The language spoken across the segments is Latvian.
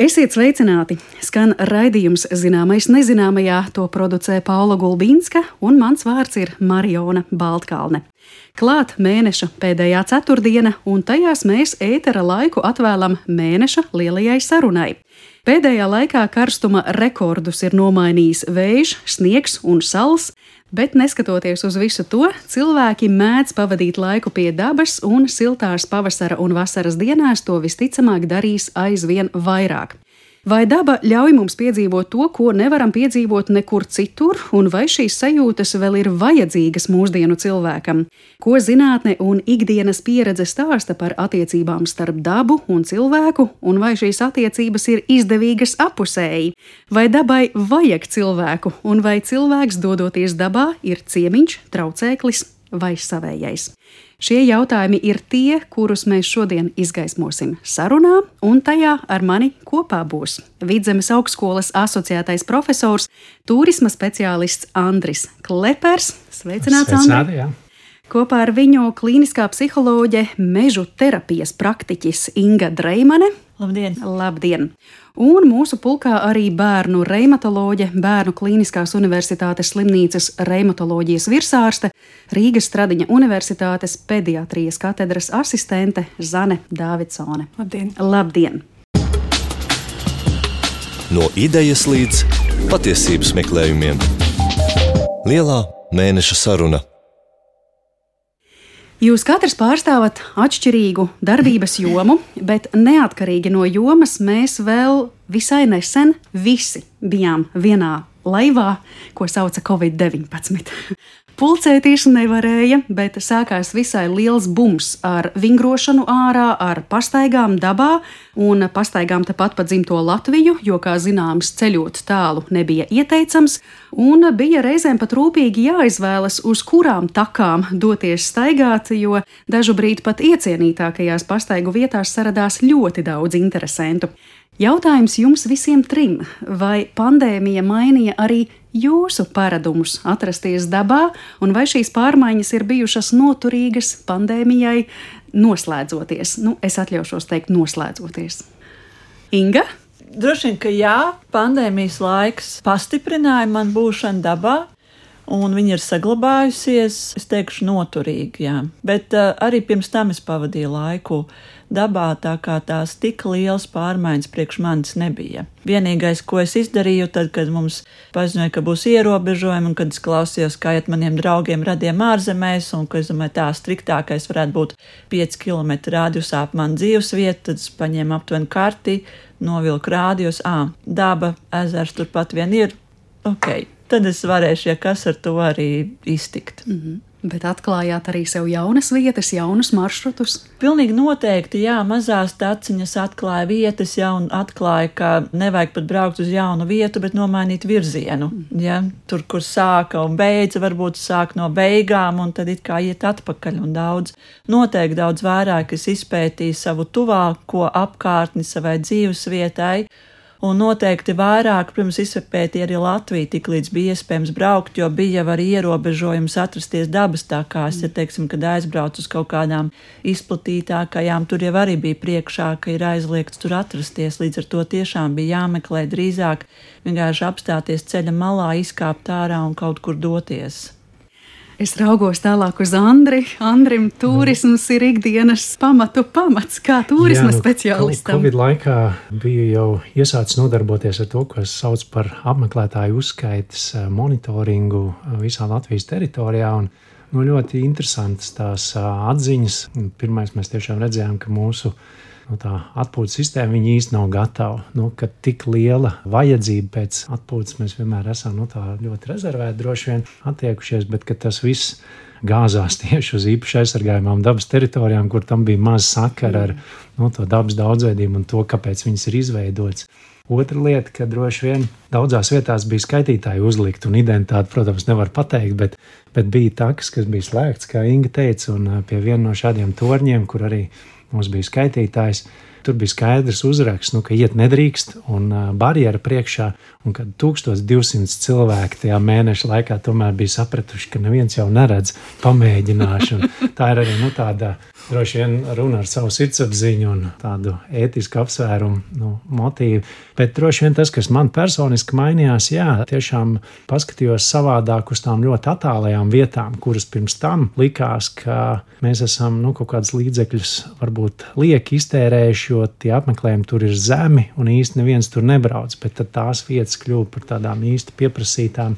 Esiet sveicināti! Skan raidījums Zināmais nezināmajā, to producē Paula Gulbīnska, un mans vārds ir Mariona Baltkalne. Klāt mēneša pēdējā ceturtdiena, un tajās mēs ētera laiku atvēlam mēneša lielajai sarunai. Pēdējā laikā karstuma rekordus ir nomainījis vējš, sniegs un sals, bet neskatoties uz visu to, cilvēki mēdz pavadīt laiku pie dabas, un siltās pavasara un vasaras dienās to visticamāk darīs aizvien vairāk. Vai daba ļauj mums piedzīvot to, ko nevaram piedzīvot nekur citur, un vai šīs sajūtas vēl ir vajadzīgas mūsdienu cilvēkam? Ko zinātne un ikdienas pieredze stāsta par attiecībām starp dabu un cilvēku, un vai šīs attiecības ir izdevīgas apusēji? Vai dabai vajag cilvēku, un vai cilvēks, dodoties dabā, ir ciemiņš, traucēklis vai savējais? Šie jautājumi ir tie, kurus mēs šodien izgaismosim sarunā, un tajā ar mani kopā būs Vidzemes augstskolas asociētais profesors, turisma speciālists Andris Klepers. Sveicināts, Andri! Jā. Kopā ar viņu klīniskā psiholoģe, mežu terapijas praktiķis Inga Dreimane. Labdien! Labdien! Un mūsu pulkā arī bērnu reimatoloģe, Bērnu Klīniskās Universitātes slimnīcas reimatoloģijas virsārste, Rīgas Stradiņa Universitātes pediatrijas katedras asistente Zane Dāvidsone. Labdien! Labdien! No idejas līdz patiesības meklējumiem. Lielā mēneša saruna. Jūs katrs pārstāvat atšķirīgu darbības jomu, bet neatkarīgi no jomas mēs vēl visai nesen visi bijām vienā laivā, ko sauca Covid-19. Pulcēties nevarēja, bet sākās visai liels bums ar vingrošanu ārā, ar pastaigām dabā un pastaigām tepat pa dzimto Latviju, jo, kā zināms, ceļot tālu nebija ieteicams, un bija reizēm pat rūpīgi jāizvēlas, uz kurām takām doties staigāt, jo dažu brīdi pat iecienītākajās pastaigu vietās saradās ļoti daudz interesentu. Jautājums jums visiem trim, vai pandēmija mainīja arī jūsu paradumus atrasties dabā, un vai šīs pārmaiņas ir bijušas noturīgas pandēmijai noslēdzoties? Es atļaušos teikt noslēdzoties. Inga? Droši vien, ka jā, pandēmijas laiks pastiprināja man būšanu dabā, un viņa ir saglabājusies, es teikšu, noturīgi, jā. Bet arī pirms tam es pavadīju laiku dabā, tā kā tās tik liels pārmaiņas priekš manis nebija. Vienīgais, ko es izdarīju, tad, kad mums paziņoja, ka būs ierobežojumi, un kad es klausījos, kā iet maniem draugiem radiem ārzemēs, un ka es domāju, tā striktākais varētu būt 5 km rādījusā ap manu dzīvesvietu, tad es paņēmu aptuveni karti, novilku rādījus, daba, ezers turpat vien ir, ok, tad es varēšu, ja kas ar to arī iztikt. Bet atklājāt arī sev jaunas vietas, jaunus maršrutus? Pilnīgi noteikti, jā, mazās taciņas atklāja vietas, un atklāja, ka nevajag pat braukt uz jaunu vietu, bet nomainīt virzienu. Ja? Tur, kur sāka un beidza, varbūt sāk no beigām, un tad it kā iet atpakaļ, un noteikti daudz vairāk es izpētīju savu tuvāko apkārtni savai dzīvesvietai, un noteikti vairāk, protams, izpētīja arī Latviju, tik līdz bija iespējams braukt, jo bija jau arī ierobežojums atrasties dabas takās, ja teiksim, kad aizbrauc uz kaut kādām izplatītākajām, tur jau arī bija priekšā, ka ir aizliegts tur atrasties, līdz ar to tiešām bija jāmeklē drīzāk vienkārši apstāties ceļa malā, izkāpt ārā un kaut kur doties. Es raugos tālāk uz Andri. Andrim turisms ir ikdienas pamats, kā turisma speciālistam. Covid laikā biju jau iesācis nodarboties ar to, ko es saucu par apmeklētāju uzskaites monitoringu visā Latvijas teritorijā, un ļoti interesantas tās atziņas. Pirmais mēs tiešām redzējām, ka mūsu tā atpūtas sistēma viņa īsti nav gatava. Ka tik liela vajadzība pēc atpūtas mēs vienmēr esam tā ļoti rezervēti droši vien attiekušies, bet ka tas viss gāzās tieši uz īpaši aizsargājumām dabas teritorijām, kur tam bija maz sakara ar to dabas daudzveidību un to, kāpēc viņas ir izveidotas. Otra lieta, ka droši vien daudzās vietās bija skaitītāji uzlikt, un identitāti, protams, nevar pateikt, bet bija takas, kas bija slēgts, kā Inga teica, un pie viena no šādiem torņiem, kur arī mums bija skaitītājs, tur bija skaidrs uzraksts, ka iet nedrīkst un barjera priekšā, un kad 1200 cilvēki tajā mēneša laikā tomēr bija sapratuši, ka neviens jau neredz, pamēģināšu. Tā ir arī tāda droši vien runa ar savu sirdsapziņu un tādu ētisku apsvērumu motīvu. Bet droši vien tas, kas man personiski mainījās, tiešām paskatījos savādāk uz tām ļoti attālajām vietām, kuras pirms tam likās, ka mēs esam kaut kādas līdzekļus varbūt lieki iztērējuši, jo tie apmeklējumi tur ir zemi un īsti neviens tur nebrauc, bet tad tās vietas kļuva par tādām īsti pieprasītām.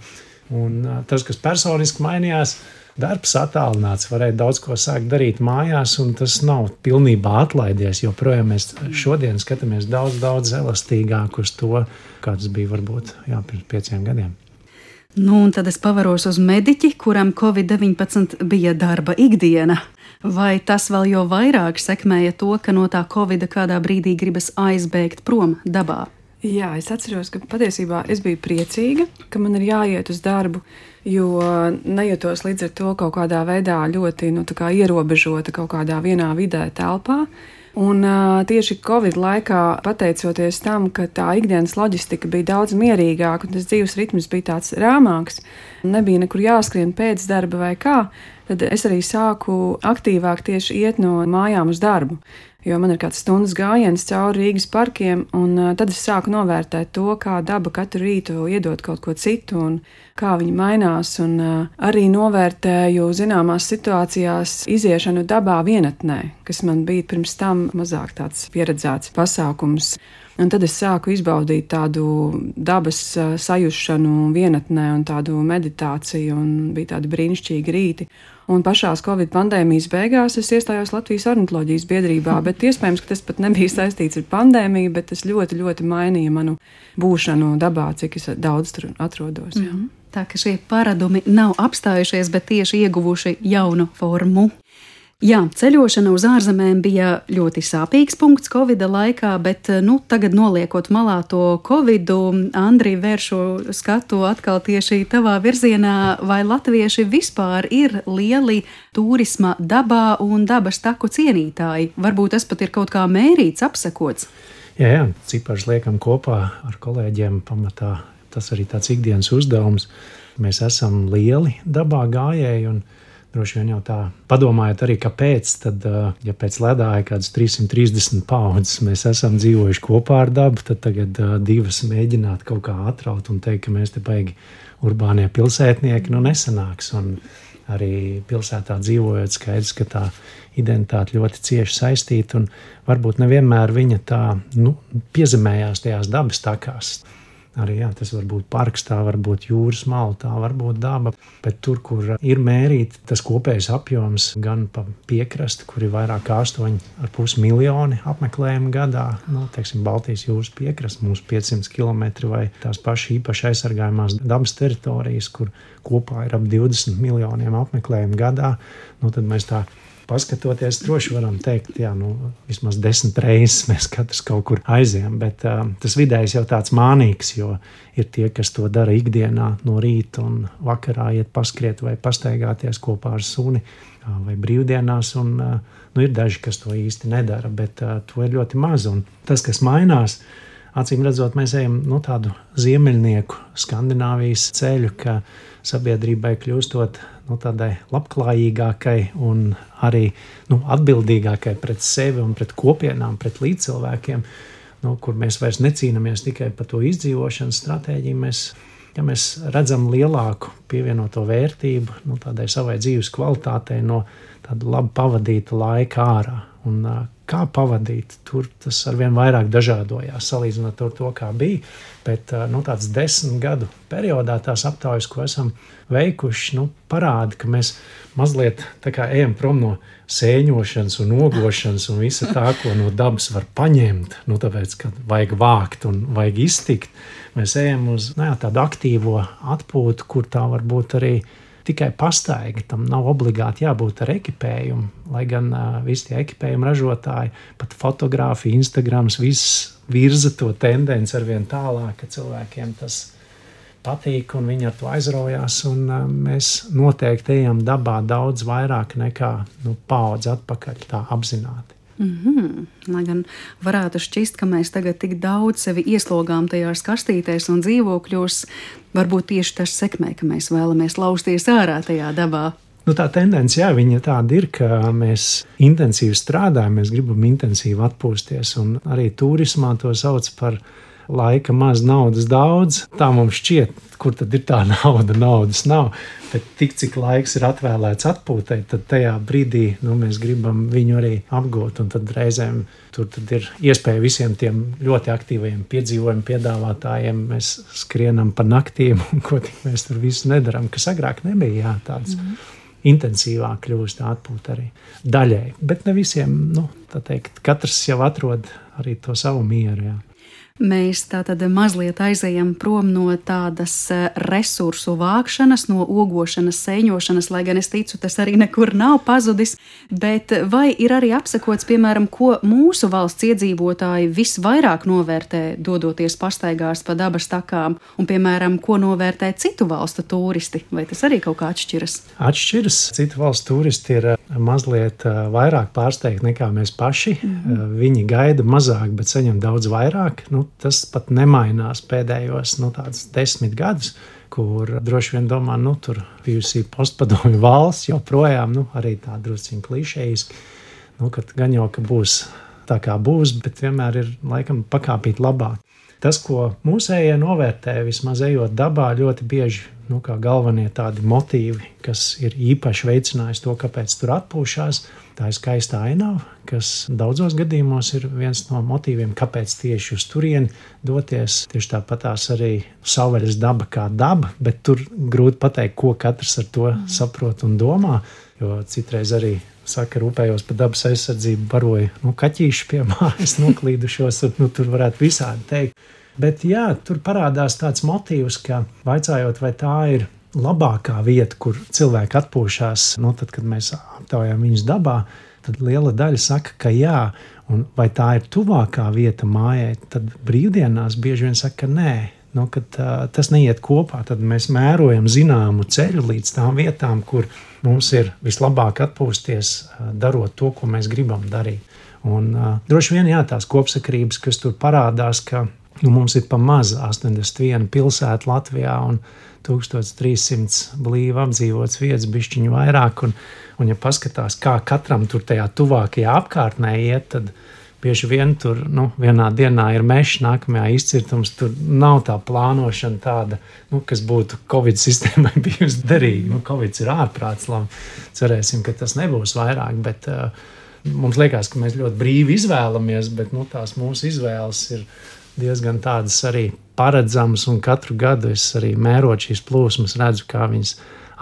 Un tas, kas personiski mainījās, darbs attālināts, varēja daudz ko sākt darīt mājās, un tas nav pilnībā atlaidies, jo projām mēs šodien skatāmies daudz elastīgāk uz to, kāds bija varbūt pirms 5 gadiem. Un tad es pavaros uz mediķi, kuram Covid-19 bija darba ikdiena. Vai tas vēl jo vairāk sekmēja to, ka no tā Covida kādā brīdī gribas aizbēgt prom dabā? Jā, es atceros, ka patiesībā es biju priecīga, ka man ir jāiet uz darbu, jo nejūtos līdz ar to kaut kādā veidā ļoti ierobežota kaut kādā vienā vidē telpā. Un tieši Covid laikā, pateicoties tam, ka tā ikdienas loģistika bija daudz mierīgāka un tas dzīves ritms bija tāds rāmāks, nebija nekur jāskrien pēc darba vai kā, tad es arī sāku aktīvāk tieši iet no mājām uz darbu. Jo man ir kāds stundas gājiens cauri Rīgas parkiem, un tad es sāku novērtēt to, kā daba katru rītu iedod kaut ko citu un kā viņi mainās, un arī novērtēju zināmās situācijās iziešanu dabā vienatnē, kas man bija pirms tam mazāk tāds pieredzēts pasākums. Un tad es sāku izbaudīt tādu dabas sajušanu vienatnē un tādu meditāciju, un bija tādi brīnišķīgi rīti. Un pašās Covid pandēmijas beigās es iestājos Latvijas ornitoloģijas biedrībā, bet iespējams, ka tas pat nebija saistīts ar pandēmiju, bet tas ļoti, ļoti mainīja manu būšanu dabā, cik es daudz tur atrodos. Tā ka šie paradumi nav apstājušies, bet tieši ieguvuši jaunu formu. Jā, ceļošana uz ārzemēm bija ļoti sāpīgs punkts Covida laikā, bet tagad noliekot malā to Covidu, Andri, vēršu skatu atkal tieši tavā virzienā, vai latvieši vispār ir lieli turisma dabā un dabas taku cienītāji? Varbūt tas pat ir kaut kā mērīts, apsekots? Jā, ciparus liekam kopā ar kolēģiem pamatā. Tas arī tāds ikdienas uzdevums. Mēs esam lieli dabā gājēji un droši vien jau tā padomājot arī, kāpēc, tad, ja pēc ledāja kādas 330 paudzes mēs esam dzīvojuši kopā ar dabu, tad tagad 2 mēģināt kaut kā atraut un teikt, ka mēs te baigi urbānie pilsētnieki, nesanāks. Un arī pilsētā dzīvojot skaidrs, ka tā identitāte ļoti cieši saistīta un varbūt nevienmēr viņa tā piezemējās tajās dabas takās. Arī tas var būt parks, tā var būt jūras mala, tā var būt daba, bet tur, kur ir mērīti tas kopējs apjoms, gan pa piekrasti, kur ir vairāk kā 8,5 miljoni apmeklējumu gadā, teiksim, Baltijas jūras piekrasti, mums 500 km vai tās paši īpaši aizsargājumās dabas teritorijas, kur kopā ir ap 20 miljoniem apmeklējumu gadā, tad mēs tā paskatoties, droši varam teikt, vismaz 10 reizes mēs katrs kaut kur aizējam, bet tas vidējs jau tāds mānīgs, jo ir tie, kas to dara ikdienā no rīta un vakarā iet paskriet vai pastaigāties kopā ar suni vai brīvdienās, un ir daži, kas to īsti nedara, bet to ir ļoti maz, un tas, kas mainās, acīm redzot, mēs ejam tādu ziemeļnieku Skandināvijas ceļu, ka sabiedrībai kļūstot tādai labklājīgākai un arī atbildīgākai pret sevi un pret kopienām, pret līdzcilvēkiem, kur mēs vairs necīnamies tikai par to izdzīvošanas stratēģiju. Mēs redzam lielāku pievienoto vērtību tādai savai dzīves kvalitātei no tāda labi pavadīta laika ārā. Un kā pavadīt, tur tas arvien vairāk dažādojās, salīdzinot ar to, kā bija. Bet tāds 10 gadu periodā tās aptaujas, ko esam veikuši, parāda, ka mēs mazliet tā kā ejam prom no sēņošanas un ogošanas un visa tā, ko no dabas var paņemt, tāpēc, ka vajag vākt un vajag iztikt. Mēs ejam uz tādu aktīvo atpūtu, kur tā var būt arī tikai pastaiga, tam nav obligāti jābūt ar ekipējumu, lai gan visi tie ekipējuma ražotāji, pat fotogrāfi, Instagrams, viss virza to tendenci arvien tālāk, ka cilvēkiem tas patīk un viņi ar to aizraujās, un mēs noteikti ejam dabā daudz vairāk nekā paudze atpakaļ tā apzināti. Lai gan varētu šķist, ka mēs tagad tik daudz sevi ieslogām tajās kastītēs un dzīvokļos, varbūt tieši tas sekmē, ka mēs vēlamies lausties ārā tajā dabā. Tā tendence, jā, viņa tāda ir, ka mēs intensīvi strādājam, mēs gribam intensīvi atpūsties, un arī turismā to sauc par laika maz, naudas daudz. Tā mums šķiet, kur tad ir tā nauda, naudas nav, bet tik, cik laiks ir atvēlēts atpūtai, tad tajā brīdī, mēs gribam viņu arī apgūt, un tad reizēm tur tad ir iespēja visiem tiem ļoti aktīvajiem piedzīvojumu piedāvātājiem, mēs skrienam pa naktīm, un ko tik mēs tur visu nedaram, kas agrāk nebija, jā, tāds intensīvāk kļūst atpūta arī daļai, bet ne visiem, tā teikt, katrs jau atrod arī to savu mieru, jā. Mēs tātad mazliet aizejam prom no tādas resursu vākšanas, no ogošanas, sēņošanas, lai gan es ticu, tas arī nekur nav pazudis, bet vai ir arī apsekots, piemēram, ko mūsu valsts iedzīvotāji visvairāk novērtē, dodoties pastaigās pa dabas takām, un, piemēram, ko novērtē citu valstu turisti, vai tas arī kaut kā atšķiras? Atšķiras. Citu valstu turisti ir mazliet vairāk pārsteigti nekā mēs paši. Viņi gaida mazāk, bet saņem daudz vairāk. Tas pat nemainās pēdējos tādus 10 gadus, kur droši vien domā, tur bijusi postpadomju valsts, joprojām arī tā drusciņ klišejiski, kad gan jau, ka būs tā kā būs, bet vienmēr ir laikam pakāpīt labāk. Tas, ko mūsējie novērtē, vismaz ejot dabā, ļoti bieži kā galvenie tādi motīvi, kas ir īpaši veicinājis to, kāpēc tur atpūšās, tā ir skaista ainava, kas daudzos gadījumos ir viens no motīviem, kāpēc tieši uz turieni doties. Tieši tāpatās arī savvaļas daba kā daba, bet tur grūti pateikt, ko katrs ar to saprot un domā, jo citreiz arī saka, rūpējos par dabas aizsardzību, baroju kaķīši pie mājas noklīdušos, un tur varētu visādi teikt. Bet jā, tur parādās tāds motīvs, ka vaicājot, vai tā ir labākā vieta, kur cilvēki atpūšās, tad, kad mēs aptaujām viņus dabā, tad liela daļa saka, ka jā, un vai tā ir tuvākā vieta mājai, tad brīvdienās bieži vien saka, ka nē, kad tas neiet kopā, tad mēs mērojam zināmu ceļu līdz tām vietām, kur mums ir vislabāk atpūsties, darot to, ko mēs gribam darīt. Un droši vien jā, tās kopsakarības, kas tur parādās, ka mums ir pa maz 81 pilsēta Latvijā un 1300 blīvi apdzīvots vietas, bišķiņu vairāk, un ja paskatās, kā katram tur tajā tuvākajā apkārtnē iet, tad bieži vien tur, vienā dienā ir mežs, nākamajā izcirtums, tur nav tā plānošana tāda, kas būtu Covid sistēmai bijusi derīga. Covid ir ārprāts, labi, cerēsim, ka tas nebūs vairāk, bet mums liekas, ka mēs ļoti brīvi izvēlamies, bet tās mūsu izvēles ir diezgan tādas arī paredzamas, un katru gadu es arī mērot šīs plūsmas redzu, kā viņas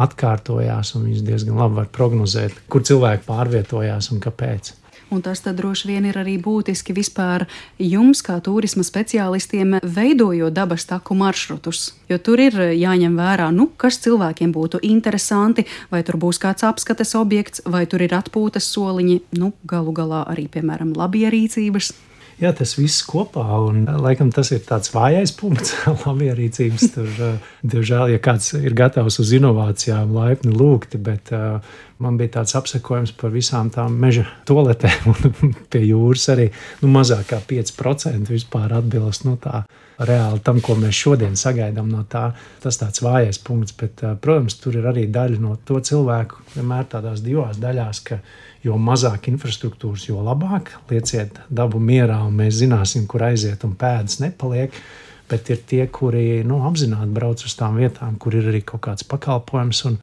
atkārtojās, un viņas diezgan labi var prognozēt, kur cilvēki pārvietojās un kāpēc. Un tas tad droši vien ir arī būtiski vispār jums, kā turisma speciālistiem, veidojot dabas taku maršrutus. Jo tur ir jāņem vērā, kas cilvēkiem būtu interesanti, vai tur būs kāds apskates objekts, vai tur ir atpūtas soliņi, galu galā arī, piemēram, labierīcības. Jā, tas viss kopā, un laikam tas ir tāds vājais punkts labierīcības. Tur, diemžēl, ja kāds ir gatavs uz inovācijām, laipni lūgti, bet man bija tāds apsekojums par visām tām meža toaletēm, un pie jūras arī mazāk kā 5% vispār atbilst tā reāli tam, ko mēs šodien sagaidām no tā. Tas tāds vājais punkts, bet, protams, tur ir arī daļa no to cilvēku, vienmēr tādās divās daļās, ka jo mazāk infrastruktūras, jo labāk. Lieciet dabu mierā, un mēs zināsim, kur aiziet, un pēdas nepaliek. Bet ir tie, kuri apzināti brauc uz tām vietām, kur ir arī kaut kāds pakalpojums. Un,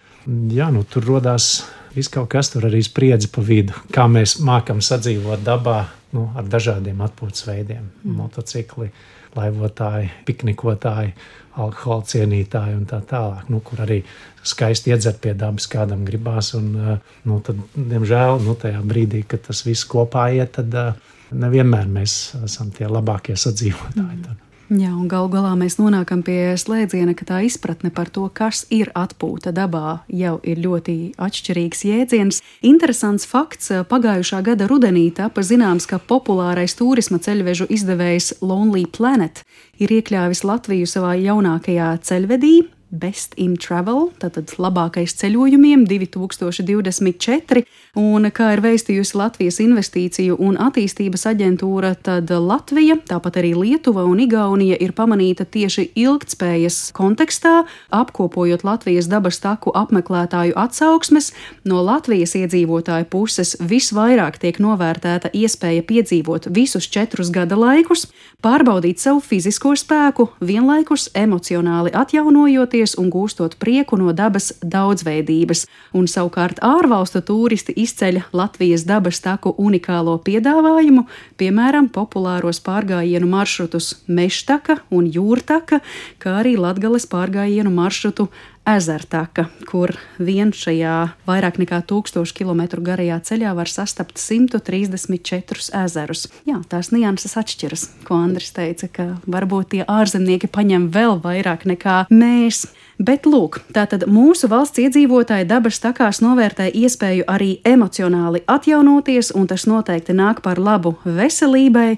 jā, tur rodās viss kaut kas, tur arī spriedzi pa vidu. Kā mēs mākam sadzīvot dabā ar dažādiem atpūtas veidiem. Motocikli, laivotāji, piknikotāji, alkohola cienītāji un tā tālāk, kur arī skaisti iedzert pie dabas kādam gribās. Un, tad, diemžēl, tajā brīdī, kad tas viss kopā iet, tad nevienmēr mēs esam tie labākie sadzīvotāji. Jā, un galu galā mēs nonākam pie slēdziena, ka tā izpratne par to, kas ir atpūta dabā, jau ir ļoti atšķirīgs jēdziens. Interesants fakts, pagājušā gada rudenī tapa zināms, ka populārais turisma ceļvežu izdevējs Lonely Planet ir iekļāvis Latviju savā jaunākajā ceļvedī, Best in Travel, tātad labākais ceļojumiem 2024, un kā ir veistījusi Latvijas investīciju un attīstības aģentūra, tad Latvija, tāpat arī Lietuva un Igaunija ir pamanīta tieši ilgtspējas kontekstā, apkopojot Latvijas dabas taku apmeklētāju atsauksmes. No Latvijas iedzīvotāju puses visvairāk tiek novērtēta iespēja piedzīvot visus 4 gada laikus, pārbaudīt savu fizisko spēku, vienlaikus emocionāli atjaunojoties un gūstot prieku no dabas daudzveidības, un savukārt ārvalstu tūristi izceļ Latvijas dabas taku unikālo piedāvājumu, piemēram, populāros pārgājienu maršrutus Mežtaka un Jūrtaka, kā arī Latgales pārgājienu maršrutu Ezertaka, kur vien šajā vairāk nekā 1000 kilometru garajā ceļā var sastapt 134 ezerus. Jā, tās nianses atšķiras, ko Andris teica, ka varbūt tie ārzemnieki paņem vēl vairāk nekā mēs. Bet lūk, tātad mūsu valsts iedzīvotāji dabas takās novērtē iespēju arī emocionāli atjaunoties, un tas noteikti nāk par labu veselībai.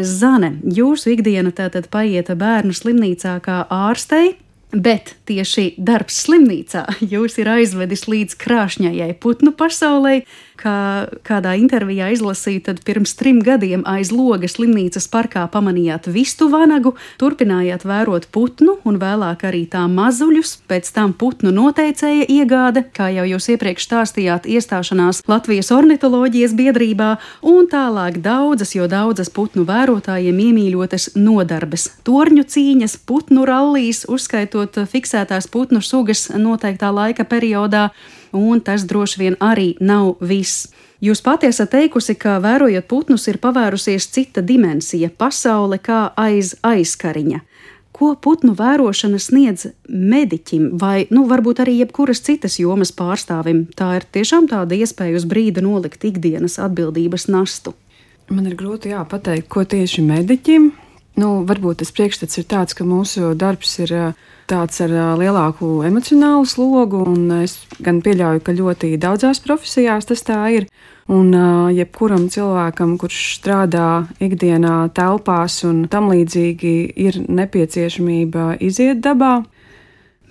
Zane, jūsu ikdiena tātad paiet bērnu slimnīcā kā ārstei, bet tieši darbs slimnīcā jūs ir aizvedis līdz krāšņajai putnu pasaulei, kā kādā intervijā izlasīju, tad pirms 3 gadiem aiz loga slimnīcas parkā pamanījāt vistu vanagu, turpinājāt vērot putnu un vēlāk arī tā mazuļus, pēc tam putnu noteicēja iegāde, kā jau jūs iepriekš stāstījāt, iestāšanās Latvijas ornitoloģijas biedrībā, un tālāk daudzas putnu vērotājiem iemīļotas nodarbes, torņu cīņas, putnu rallijas, uzskaitot fiksētās putnu sugas noteiktā laika periodā, un tas droši vien arī nav viss. Jūs pati esat teikusi, ka vērojot putnus ir pavērusies cita dimensija, pasaule kā aiz aizkariņa. Ko putnu vērošana sniedz mediķim vai, varbūt arī jebkuras citas jomas pārstāvim? Tā ir tiešām tāda iespēja uz brīdi nolikt ikdienas atbildības nastu. Man ir grūti pateikt, ko tieši mediķim. Varbūt tas priekšstats ir tāds, ka mūsu darbs ir tāds ar lielāku emocionālu slogu, un es gan pieļauju, ka ļoti daudzās profesijās tas tā ir. Un jebkuram cilvēkam, kurš strādā ikdienā telpās un tam līdzīgi, ir nepieciešamība iziet dabā.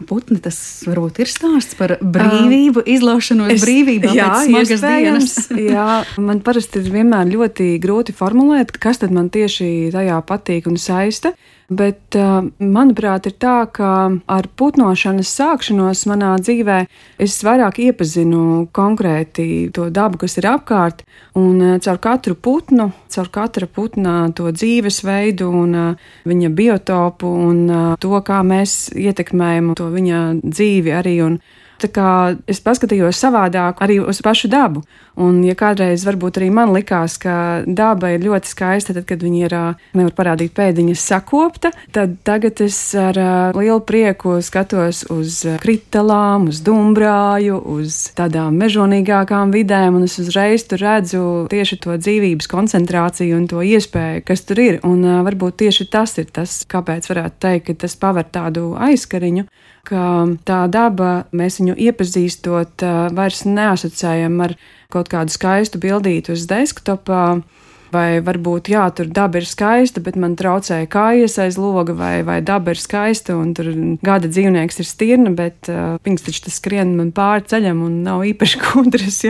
Putni, tas varbūt ir stāsts par brīvību, izlaušanos brīvībā pēc smagas dienas. Jā, man parasti ir vienmēr ļoti grūti formulēt, kas tad man tieši tajā patīk un saista. Bet, manuprāt, ir tā, ka ar putnošanas sākšanos manā dzīvē es vairāk iepazinu konkrēti to dabu, kas ir apkārt, un caur katru putnu, caur katra putna to dzīvesveidu un viņa biotopu un to, kā mēs ietekmējam to viņa dzīvi arī. Un tā kā es paskatījos savādāk arī uz pašu dabu. Un, ja kādreiz varbūt arī man likās, ka daba ir ļoti skaista, tad, kad viņa ir, nevar parādīt pēdiņas, sakopta, tad tagad es ar lielu prieku skatos uz kritalām, uz dumbrāju, uz tādām mežonīgākām vidēm, un es uzreiz tur redzu tieši to dzīvības koncentrāciju un to iespēju, kas tur ir. Un varbūt tieši tas ir tas, kāpēc varētu teikt, ka tas paver tādu aizkariņu, ka tā daba, mēs viņu iepazīstot, vairs neasociējam ar kaut kādu skaistu bildīti uz desktopā, vai varbūt, tur daba ir skaista, bet man traucēja kājas aiz loga, vai daba ir skaista, un tur gada dzīvnieks ir stirna, bet viņas taču tas skrien man pāri ceļam un nav īpaši gudras,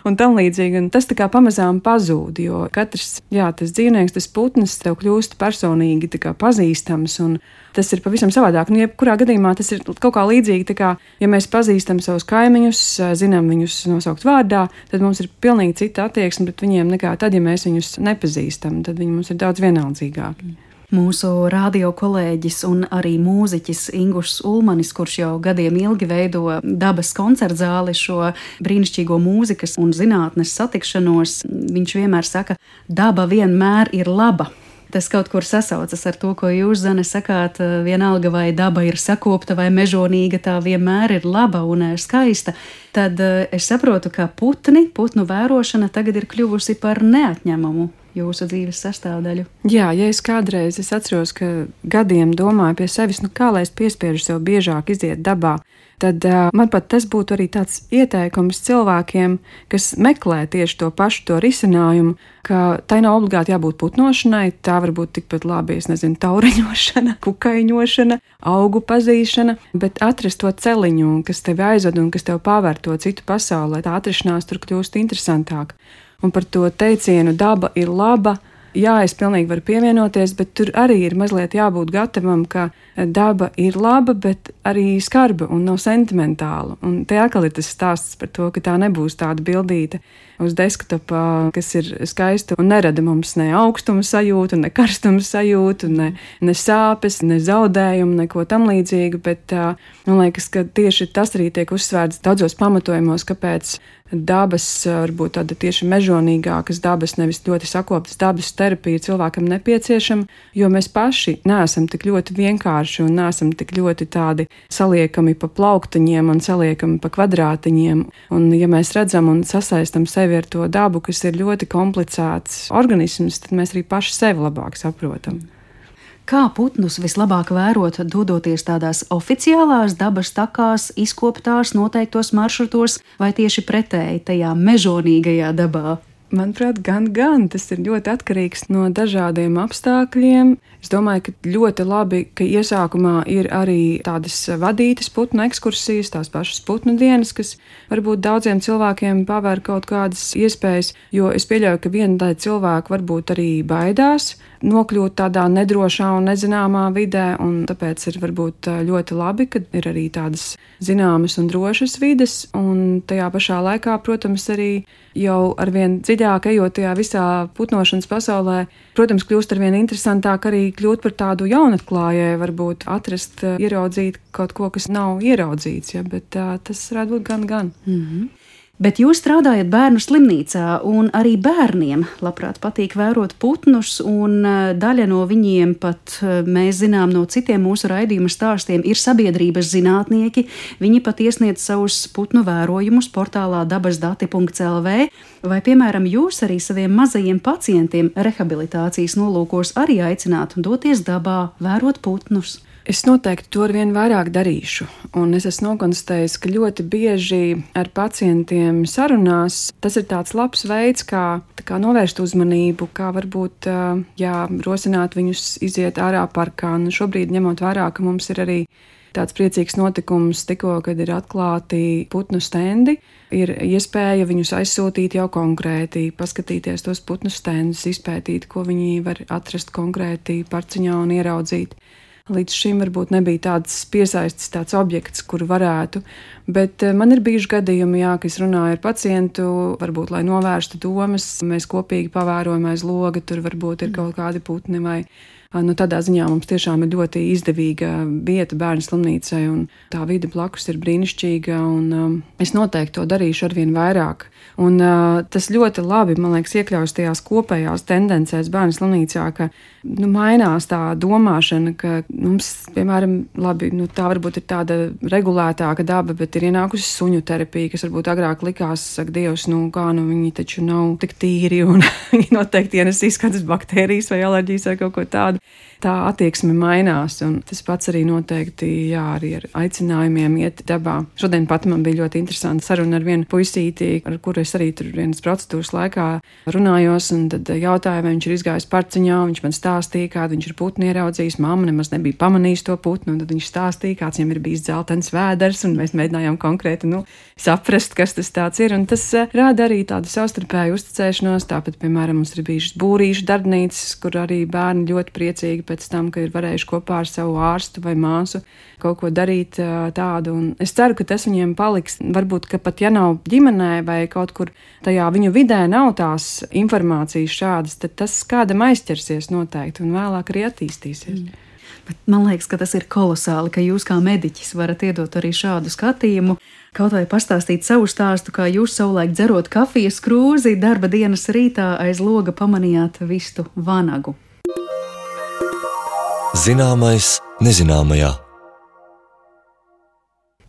un tam līdzīgi. Un tas tā kā pamazām pazūd, jo katrs, tas dzīvnieks, tas putns tev kļūst personīgi tā kā pazīstams, un tas ir pavisam savādāk. Un jebkurā gadījumā tas ir kaut kā līdzīgi, tā kā, ja mēs pazīstam savus kaimiņus, zinām viņus nosaukt vārdā, tad mums ir pilnīgi cita attieksme pret viņiem nekā tad, ja mēs viņus nepazīstam, tad viņi mums ir daudz vienaldzīgāki. Mūsu radio kolēģis un arī mūziķis Ingušs Ulmanis, kurš jau gadiem ilgi veido dabas koncertzāli, šo brīnišķīgo mūzikas un zinātnes satikšanos, viņš vienmēr saka, daba vienmēr ir laba. Tas kaut kur sasaucas ar to, ko jūs, Zane, sakāt, vienalga vai daba ir sakopta vai mežonīga, tā vienmēr ir laba un skaista. Tad es saprotu, ka putnu vērošana tagad ir kļuvusi par neatņemamu jūsu dzīves sastāvdaļu. Jā, ja es kādreiz atceros, ka gadiem domāju pie sevis, kā lai es piespiežu sev biežāk iziet dabā, tad man pat tas būtu arī tāds ieteikums cilvēkiem, kas meklē tieši to pašu to risinājumu, ka tai nav obligāti jābūt putnošanai, tā var būt tikpat labi, taureņošana, kukaiņošana, augu pazīšana, bet atrast to celiņu, kas tevi aizved un kas tev paver to citu pasauli, lai tā atrašanās tur kļūst interesantāk. Un par to teicienu daba ir laba, jā, es pilnīgi varu pievienoties, bet tur arī ir mazliet jābūt gatavam, ka daba ir laba, bet arī skarba un nav sentimentāla. Un te atkal ir tas stāsts par to, ka tā nebūs tāda bildīte uz desktopā, kas ir skaista un nerada mums ne augstuma sajūtu, ne karstuma sajūtu, ne sāpes, ne zaudējumu, neko tam līdzīgu, bet man liekas, ka tieši tas arī tiek uzsvērts daudzos pamatojumos, kāpēc dabas, varbūt tāda tieši mežonīgākas dabas, nevis ļoti sakoptas dabas terapija cilvēkam nepieciešama, jo mēs paši neesam tik ļoti vienkārši un neesam tik ļoti tādi saliekami pa plauktiņiem un saliekami pa kvadrātiņiem. Un ja mēs redzam un sasaistam sevi ar to dabu, kas ir ļoti komplicēts organisms, tad mēs arī paši sevi labāk saprotam. Kā putnus vislabāk vērot, dodoties tādās oficiālās dabas takās, izkoptās noteiktos maršrutos, vai tieši pretēji tajā mežonīgajā dabā? Manuprāt, gan. Tas ir ļoti atkarīgs no dažādiem apstākļiem. Es domāju, ka ļoti labi, ka iesākumā ir arī tādas vadītas putnu ekskursijas, tās pašas putnu dienas, kas varbūt daudziem cilvēkiem pavēr kaut kādas iespējas, jo es pieļauju, ka viena daļa cilvēku varbūt arī baidās nokļūt tādā nedrošā un nezināmā vidē, un tāpēc ir varbūt ļoti labi, ka ir arī tādas zināmas un drošas vides, un tajā pašā laikā, protams, arī jau arvien dziļāk ejot tajā visā putnošanas pasaulē, protams, kļūst arvien interesantāk arī kļūt par tādu jaunatklājēju, varbūt atrast, ieraudzīt kaut ko, kas nav ieraudzīts, ja, bet tas varētu būt gan. Mm-hmm. Bet jūs strādājat bērnu slimnīcā, un arī bērniem labprāt patīk vērot putnus, un daļa no viņiem pat, mēs zinām no citiem mūsu raidījuma stāstiem, ir sabiedrības zinātnieki. Viņi pat iesniedz savus putnu vērojumus portālā dabasdati.lv, vai, piemēram, jūs arī saviem mazajiem pacientiem rehabilitācijas nolūkos arī aicināt doties dabā, vērot putnus? Es noteikti to arvien vairāk darīšu, un es esmu nokonstatējis, ka ļoti bieži ar pacientiem sarunās tas ir tāds labs veids, kā novērst uzmanību, kā varbūt rosināt viņus iziet ārā parkā. Un šobrīd, ņemot vērā, ka mums ir arī tāds priecīgs notikums tikko, kad ir atklāti putnu stendi, ir iespēja viņus aizsūtīt jau konkrēti, paskatīties tos putnu stendus, izpētīt, ko viņi var atrast konkrēti parciņā un ieraudzīt. Līdz šim varbūt nebija tāds piesaistis tāds objekts, kuru varētu, bet man ir bijuši gadījumi, ka es runāju ar pacientu, varbūt, lai novērstu domas, mēs kopīgi pavērojam aiz loga, tur varbūt ir kaut kādi putni vai tādā ziņā mums tiešām ir ļoti izdevīga vieta bērnu slimnīcai, un tā vide blakus ir brīnišķīga, un es noteikti to darīšu arvien vairāk. Un tas ļoti labi, man liekas, iekļaujas tajās kopējās tendencēs bērnu slimnīcā, ka mainās tā domāšana, ka mums, piemēram, labi, tā varbūt ir tāda regulētāka daba, bet ir ienākusi suņu terapija, kas varbūt agrāk likās, saka Dievs, viņi taču nav tik tīri, un viņi noteikti ienesīs kādas baktērijas vai alerģijas vai kaut ko tādu. Tā attieksme mainās, un tas pats arī noteikti, arī ar aicinājumiem iet dabā. Šodien pat man bija ļoti interesanta saruna ar vienu puisīti, ar kuru es arī tur vienas procedūras laikā runājos, un tad jautāju, vai viņš ir izgājis parciņā, viņš man stāstīja, kādu viņš ir putnu ieraudzījis, mamma nemaz nebija pamanījis to putnu, un tad viņš stāstīja, kāds viņam ir bijis dzeltens vēders, un mēs mēģinājām konkrēti, saprast, kas tas tāds ir, un tas rāda arī tādu savstarpēju uzticēšanos. Tāpat, piemēram, mums ir bijušas būrīšu darbnīcas, kur arī bērni ļoti priecīgi pēc tam, ka ir varējuši kopā ar savu ārstu vai māsu kaut ko darīt tādu. Un es ceru, ka tas viņiem paliks. Varbūt, ka pat ja nav ģimenē vai kaut kur tajā viņu vidē nav tās informācijas šādas, tad tas kādam aizķersies noteikti un vēlāk arī attīstīsies. Bet man liekas, ka tas ir kolosāli, ka jūs kā mediķis varat iedot arī šādu skatījumu. Kaut vai pastāstīt savu stāstu, kā jūs savulaik dzerot kafijas krūzi, darba dienas rītā aiz loga pamanījāt vistu vanagu. Zināmais nezināmajā.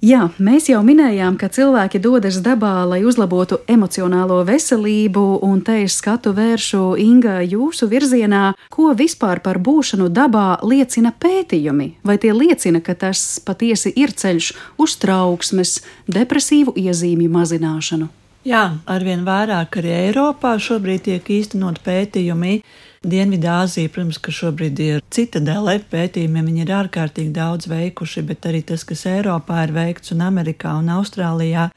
Jā, mēs jau minējām, ka cilvēki dodas dabā, lai uzlabotu emocionālo veselību, un te es skatu vēršu, Inga, jūsu virzienā, ko vispār par būšanu dabā liecina pētījumi? Vai tie liecina, ka tas patiesi ir ceļš uz trauksmes, depresīvu iezīmju mazināšanu? Jā, arvien vairāk arī Eiropā šobrīd tiek īstenot pētījumi. Dienvidāzija, protams, ka šobrīd ir citadele pētījumiem, viņi ir ārkārtīgi daudz veikuši, bet arī tas, kas Eiropā ir veikts un Amerikā un Austrālijā,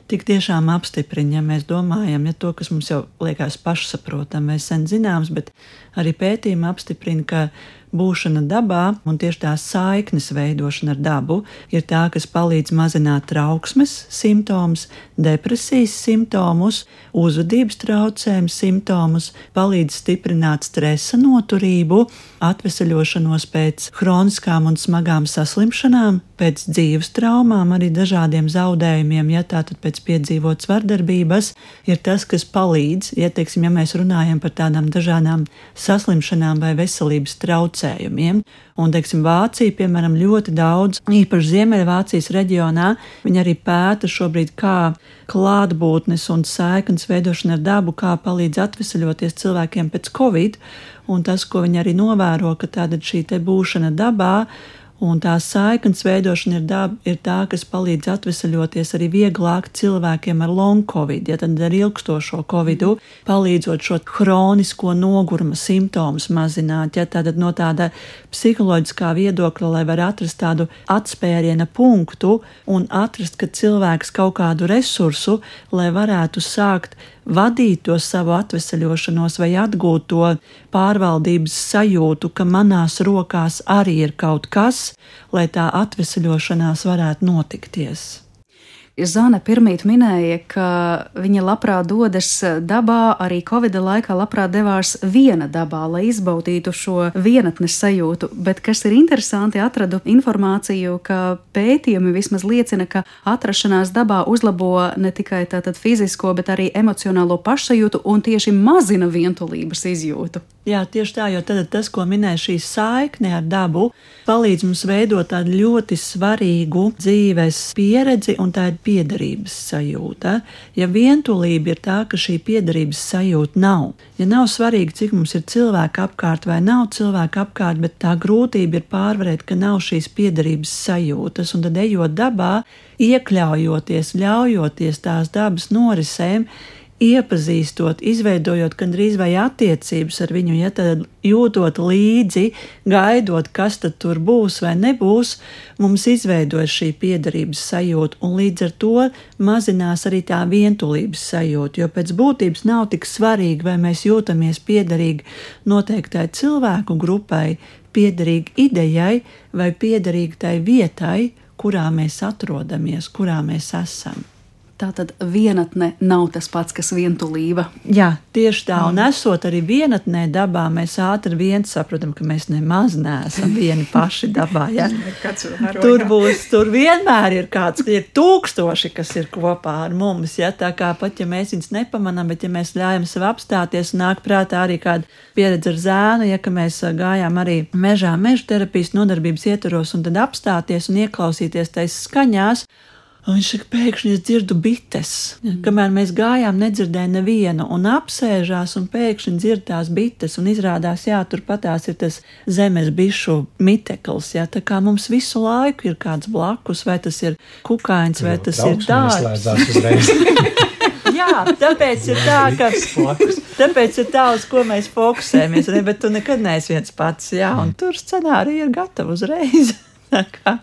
tik tiešām apstiprina, ja mēs domājam, ja to, kas mums jau liekas pašsaprotam, mēs sen zināms, bet arī pētījumi apstiprina, ka būšana dabā un tieši tā saiknes veidošana ar dabu ir tā, kas palīdz mazināt trauksmes simptomus, depresijas simptomus, uzvedības traucējumus simptomus, palīdz stiprināt stresa noturību, atveseļošanos pēc hroniskām un smagām saslimšanām, pēc dzīves traumām, arī dažādiem zaudējumiem, ja tātad pēc piedzīvotas vardarbības, ir tas, kas palīdz, ja mēs runājam par tādām dažādām saslimšanām vai veselības traucējumiem. Un, Vācija, piemēram, ļoti daudz, īpaši Ziemeļvācijas reģionā, viņi arī pēta šobrīd, kā klātbūtnes un saiknes veidošana ar dabu, kā palīdz atveseļoties cilvēkiem pēc Covid, un tas, ko viņi arī novēro, ka tāda šī te būšana dabā, un tā saiknes veidošana ir tā, kas palīdz atveseļoties arī vieglāk cilvēkiem ar long covid, ja tad ar ilgstošo covidu, palīdzot šo hronisko noguruma simptomus mazināt, ja tātad no tāda psiholoģiskā viedokļa, lai var atrast tādu atspēriena punktu un atrast, ka cilvēks kaut kādu resursu, lai varētu sākt vadīt to savu atveseļošanos vai atgūt to pārvaldības sajūtu, ka manās rokās arī ir kaut kas, lai tā atveseļošanās varētu notikties. Zana pirmīt minēja, ka viņa labprāt dodas dabā, arī Covida laikā labprāt devās viena dabā, lai izbaudītu šo vienatnes sajūtu, bet kas ir interesanti, atradu informāciju, ka pētījumi vismaz liecina, ka atrašanās dabā uzlabo ne tikai tātad fizisko, bet arī emocionālo pašsajūtu un tieši mazina vientulības izjūtu. Jā, tieši tā, jo tad tas, ko minēja šī saikne ar dabu, palīdz mums veidot tādu ļoti svarīgu dzīves pieredzi, un tā ir piederības sajūta. Ja vientulība ir tā, ka šī piederības sajūta nav, ja nav svarīgi, cik mums ir cilvēki apkārt vai nav cilvēki apkārt, bet tā grūtība ir pārvarēt, ka nav šīs piederības sajūtas, un tad ejot dabā, iekļaujoties, ļaujoties tās dabas norisēm, iepazīstot, izveidojot gandrīz vai attiecības ar viņu, ja tad jūtot līdzi, gaidot, kas tad tur būs vai nebūs, mums izveidojas šī piederības sajūta, un līdz ar to mazinās arī tā vientulības sajūta, jo pēc būtības nav tik svarīgi, vai mēs jūtamies piederīgi noteiktai cilvēku grupai, piederīgi idejai vai piederīgi tai vietai, kurā mēs atrodamies, kurā mēs esam. Tātad vienatne nav tas pats, kas vientulība. Jā, tieši tā, un esot arī vienatnē dabā, mēs ātri vien saprotam, ka mēs nemaz neesam vieni paši dabā. Ja? Tur vienmēr ir kāds, ir tūkstoši, kas ir kopā ar mums, ja? Tā kā pat, ja mēs viņus nepamanām, bet ja mēs ļaujam sev apstāties, nāk prātā arī kāda pieredze ar zēnu, ja ka mēs gājām arī mežā, meža terapijas nodarbības ietvaros, un tad apstāties un ieklausīties tais skaņās. Un viņš saka, pēkšņi es dzirdu bites. Kamēr mēs gājām, nedzirdēju nevienu, un apsēžās, un pēkšņi dzird tās bites, un izrādās, jā, turpatās ir tas zemes bišu mitekls, jā, tā kā mums visu laiku ir kāds blakus, vai tas ir kukains, vai tas ir dārgs. Jā, tāpēc ir tā, tāpēc ir tā, uz ko mēs fokusējamies, bet tu nekad neesi viens pats, jā, un tur scenārija ir gatava uzreiz.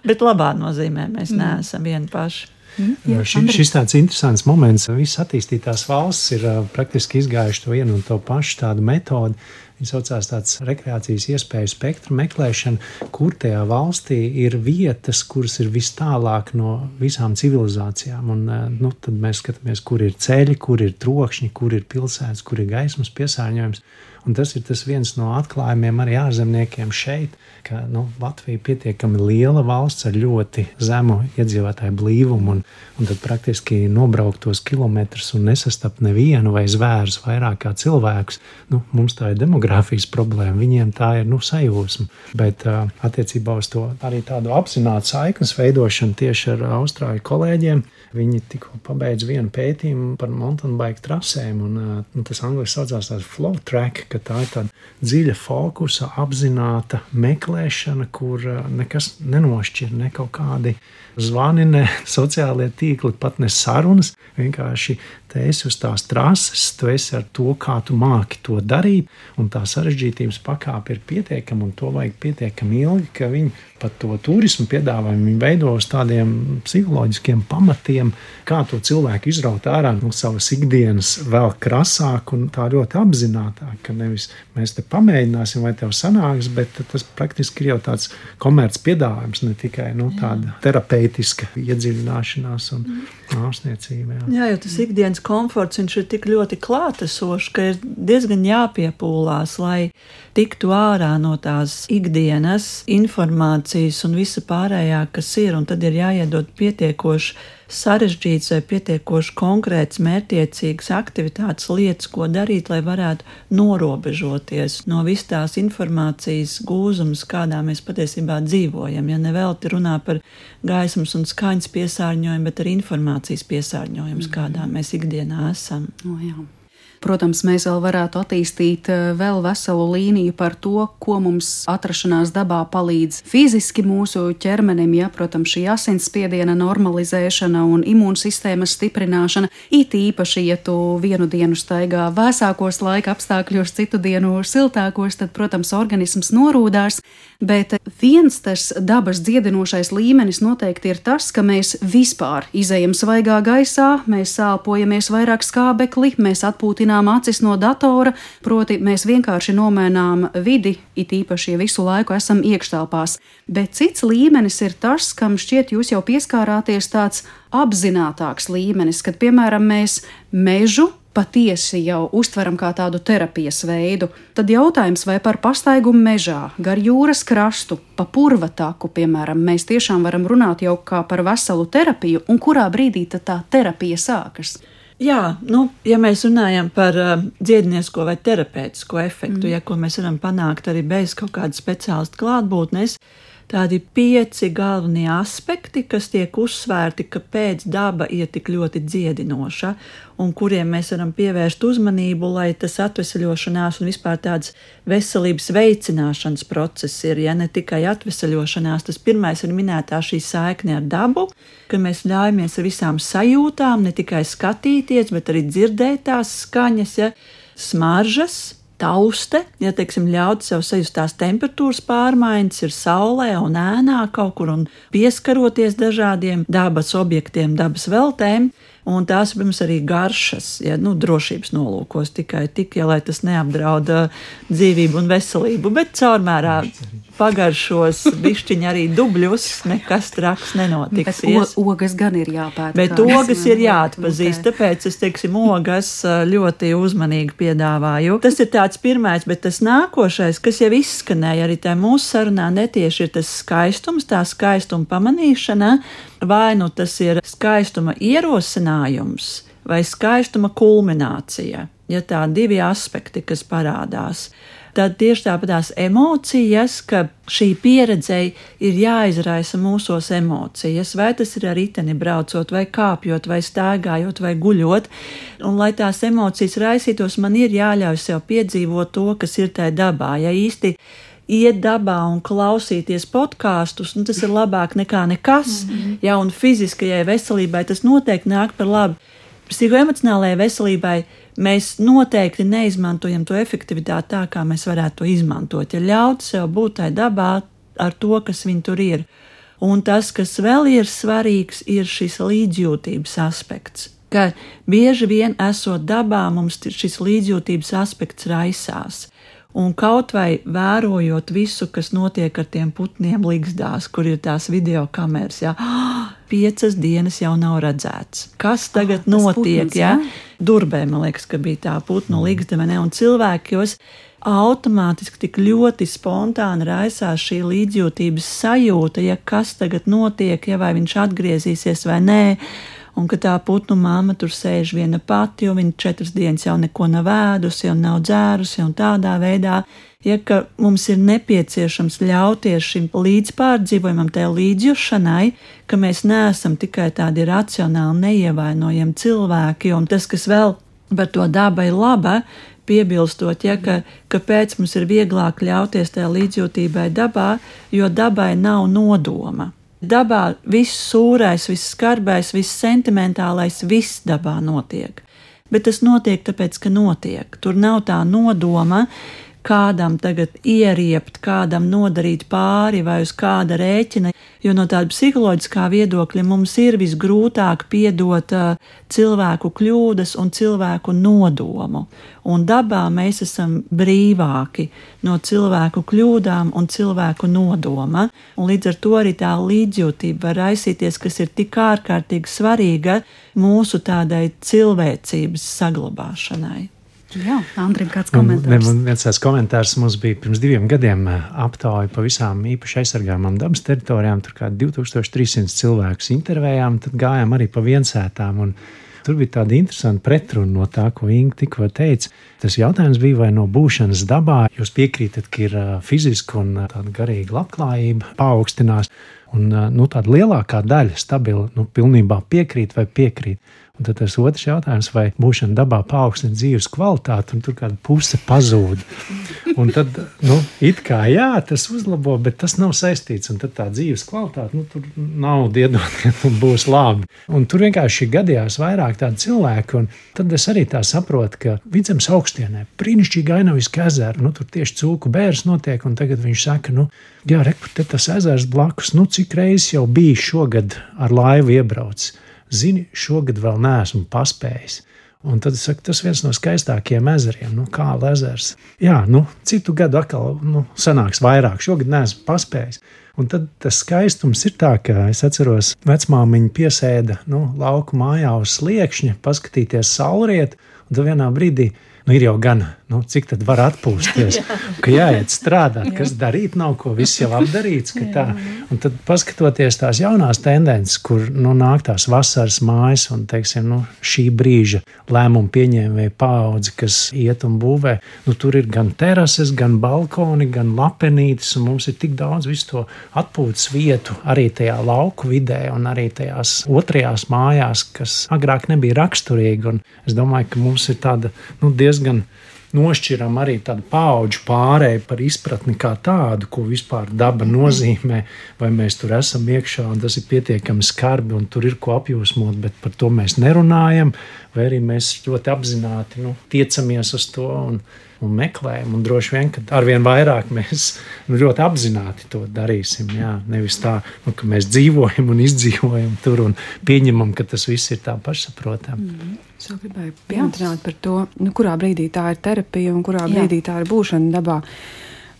Bet labā nozīmē mēs neesam vieni paši. Šis tāds interesants moments. Visas attīstītās valsts ir praktiski izgājuši to vienu un to pašu tādu metodi. Viņa saucās tāds rekreācijas iespēju spektru meklēšana, kur tajā valstī ir vietas, kuras ir vis tālāk no visām civilizācijām. Un, tad mēs skatāmies, kur ir ceļi, kur ir trokšņi, kur ir pilsētas, kur ir gaismas piesārņojums. Un tas ir tas viens no atklājumiem arī ārzemniekiem šeit, ka Latvija ir pietiekami liela valsts ar ļoti zemu iedzīvotāju blīvumu, un tad praktiski nobraukt tos kilometrus un nesastapt nevienu vai zvērus vairāk kā cilvēkus. Mums tā ir demogrāfija. fotografijas problēma, viņiem tā ir sajūsma. Bet attiecībā uz to arī tādu apzinātu saiknes veidošanu tieši ar austrāļu kolēģiem, viņi tikko pabeidz vienu pētījumu par mountain bike trasēm, un tas angliski saucās tāds flow track, ka tā ir tāda dziļa fokusa, apzināta meklēšana, kur nekas nenošķir, ne kaut kādi zvani, ne sociālie tīkli, pat ne sarunas, vienkārši te esi uz tās trases, tu esi ar to, kā tu māki to darīt, un tā sarežģītības pakāpe ir pietiekama, un to vajag pietiekami ilgi, ka viņi pat to turismu piedāvājumu viņi veido uz tādiem psiholoģiskiem pamatiem, kā to cilvēku izraut ārā no savas ikdienas vēl krasāk un tā ļoti apzinātāk, ka nevis mēs te pamēģināsim, vai tev sanāks, bet tas praktiski ir jau tāds komerc piedāvājums, ne tikai tāda terapeitiska iedziļināšanās un ārstniecība. Jā, jo tas ikdienas komforts, viņš ir tik ļoti klātesošs, ka ir diezgan jāpiepūlās, lai tiktu ārā no tās ikdienas informācijas un visa pārējā, kas ir, un tad ir jāiedod pietiekoši sarežģīts vai pietiekoši konkrēts, mērķiecīgas aktivitātes, lietas, ko darīt, lai varētu norobežoties no vis tās informācijas gūzumas, kādā mēs patiesībā dzīvojam. Ja nevelti runā par gaismas un skaņas piesārņojumu, bet arī informācijas piesārņojums, kādā mēs ikdienā esam. Jā. Protams, mēs vēl varētu attīstīt vēl veselu līniju par to, ko mums atrašanās dabā palīdz fiziski mūsu ķermenim, protams, šī asinsspiediena normalizēšana un imūnsistēmas stiprināšana, it īpaši, ja tu vienu dienu staigā vēsākos laika apstākļos, citu dienu siltākos, tad, protams, organisms norūdās, bet viens tas dabas dziedinošais līmenis noteikti ir tas, ka mēs vispār izejam svaigā gaisā, mēs sālpojamies vairāk skābekli, mēs atpūtinām acis no datora, proti mēs vienkārši nomainām vidi, it īpaši, ja visu laiku esam iekštelpās. Bet cits līmenis ir tas, kam šķiet jūs jau pieskārāties tāds apzinātāks līmenis, kad, piemēram, mēs mežu patiesi jau uztveram kā tādu terapijas veidu. Tad jautājums, vai par pastaigumu mežā, gar jūras krastu, pa purva taku, piemēram, mēs tiešām varam runāt jau kā par veselu terapiju, un kurā brīdī tad tā terapija sākas? Jā, ja mēs runājam par dziedinieko vai terapeitisko efektu, ko mēs varam panākt arī bez kaut kāda speciālista klātbūtnes, tādi 5 galvenie aspekti, kas tiek uzsvērti, kāpēc daba ir tik ļoti dziedinoša un kuriem mēs varam pievērst uzmanību, lai tas atveseļošanās un vispār tāds veselības veicināšanas process ir, ne tikai atveseļošanās. Tas pirmais ir minētā šī saikne ar dabu, ka mēs ļaujamies ar visām sajūtām, ne tikai skatīties, bet arī dzirdēt tās skaņas, smaržas, tauste, teiksim, ļaut sev sajust tās temperatūras pārmaiņas, ir saulē un ēnā kaut kur un pieskaroties dažādiem dabas objektiem, dabas veltēm, un tās, protams, arī garšas, drošības nolūkos tikai tik, lai tas neapdrauda dzīvību un veselību, bet caurmērā pagaršos bišķiņi arī dubļus, nekas traks nenotiks. Bet ogas gan ir jāpēta. Bet ogas ir jāatpazīst, tāpēc es, teiksim, ogas ļoti uzmanīgi piedāvāju. Tas ir tāds pirmais, bet tas nākošais, kas jau izskanēja arī tā mūsu sarunā netieši, ir tas skaistums, tā skaistuma pamanīšana, vai tas ir skaistuma ierosinājums vai skaistuma kulminācija, tā 2 aspekti, kas parādās. Tad tieši tāpatās emocijas, ka šī pieredzei ir jāizraisa mūsos emocijas, vai tas ir ar riteni braucot, vai kāpjot, vai staigājot, vai guļot, un lai tās emocijas raisītos, man ir jāļauj sev piedzīvot to, kas ir tajā dabā, īsti iet dabā un klausīties podkāstus, tas ir labāk nekā nekas, un fiziskajai veselībai tas noteikti nāk par labu. Psihoemocionālajai veselībai mēs noteikti neizmantojam to efektivitāti tā, kā mēs varētu to izmantot, ļaut sev būt tai dabā ar to, kas viņi tur ir. Un tas, kas vēl ir svarīgs, ir šis līdzjūtības aspekts, ka bieži vien esot dabā, mums šis līdzjūtības aspekts raisās. Un kaut vai vērojot visu, kas notiek ar tiem putniem ligzdās, kur ir tās video kameras, 5 dienas jau nav redzēts. Kas tagad notiek? Putns, Durbē, man liekas, ka bija tā putnu ligzda, un cilvēkos automātiski tik ļoti spontāni raisās šī līdzjūtības sajūta, kas tagad notiek, vai viņš atgriezīsies vai nē. un ka tā putnu mamma tur sēž viena pati, jo viņa 4 dienas jau neko nav ēdusi un nav dzērusi, un tādā veidā, ja ka mums ir nepieciešams ļauties šim līdzpārdzīvojumam, tai līdzjušanai, ka mēs neesam tikai tādi racionāli neievainojami cilvēki, un tas, kas vēl par to daba ir laba, piebilstot, ja, kāpēc mums ir vieglāk ļauties tajā līdzjūtībai dabā, jo dabai nav nodoma. Dabā viss sūrais, viss skarbais, viss sentimentālais, viss dabā notiek. Bet tas notiek tāpēc, ka notiek. Tur nav tā nodoma, kādam tagad ieriept, kādam nodarīt pāri vai uz kāda rēķina, jo no tāda psiholoģiskā viedokļa mums ir visgrūtāk piedot cilvēku kļūdas un cilvēku nodomu. Un dabā mēs esam brīvāki no cilvēku kļūdām un cilvēku nodoma, un līdz ar to arī tā līdzjūtība var raisīties, kas ir tik ārkārtīgi svarīga mūsu tādai cilvēcības saglabāšanai. Jā, Andrim, kāds komentārs? Viens tās komentārs mums bija pirms 2 gadiem aptauja pa visām īpaši aizsargājumām dabas teritorijām, tur kā 2300 cilvēkus intervējām, tad gājām arī pa viensētām, un tur bija tāda interesanta pretruna no tā, ko Inga tikko teica. Tas jautājums bija, vai no būšanas dabā jūs piekrītat, ka ir fiziska un tāda garīga labklājība paaugstinās, un tāda lielākā daļa stabila, pilnībā piekrīt vai piekrīt. Un tad tas otrs jautājums, vai būšana dabā paaugstina dzīves kvalitāti, un tur kāda puse pazūd. Un tad, it kā jā, tas uzlabo, bet tas nav saistīts, un tad tā dzīves kvalitāte, tur nav diedot, un būs labi. Un tur vienkārši gadījās vairāk tādu cilvēku, un tad es arī tā saprotu, ka Vidzemes augstienē brīnišķīgi Ainaviski ezeri, tur tieši cūku bērs notiek, un tagad viņš saka, jā, reku, te tas ezers blakus, cik reizes jau bija šogad ar laivu iebraucis. Zini, šogad vēl neesmu paspējis. Un tad es saku, tas viens no skaistākajiem ezeriem, kā ezers. Jā, citu gadu atkal sanāks vairāk, šogad neesmu paspējis. Un tad tas skaistums ir tā, ka es atceros, vecmāmiņa piesēda lauku mājā uz sliekšņa, paskatīties saulrietu, un tad vienā brīdī ir jau gan, cik tad var atpūsties, ka jāiet strādāt, kas darīt nav, ko viss jau apdarīts, ka tā. Un tad paskatoties tās jaunās tendences, kur nāk tās vasaras mājas un, teiksim, šī brīža lēmumu pieņēmēja paudze, kas iet un būvē, tur ir gan terases, gan balkoni, gan lapenītes, un mums ir tik daudz visu to atpūtas vietu arī tajā lauku vidē un arī tajās otrajās mājās, kas agrāk nebija raksturīgi, un es domāju, ka mums ir tāda, diezgan nošķiram arī tādu paudžu pārēju par izpratni kā tādu, ko vispār daba nozīmē, vai mēs tur esam iekšā un tas ir pietiekami skarbi un tur ir ko apjūsmot, bet par to mēs nerunājam, vai arī mēs ļoti apzināti tiecamies uz to un meklējam, un droši vien, ka arvien vairāk mēs ļoti apzināti to darīsim, jā, nevis tā, ka mēs dzīvojam un izdzīvojam tur un pieņemam, ka tas viss ir tā pašsaprotam. Es vēl gribēju pieminēt par to, kurā brīdī tā ir terapija un kurā brīdī tā ir būšana dabā.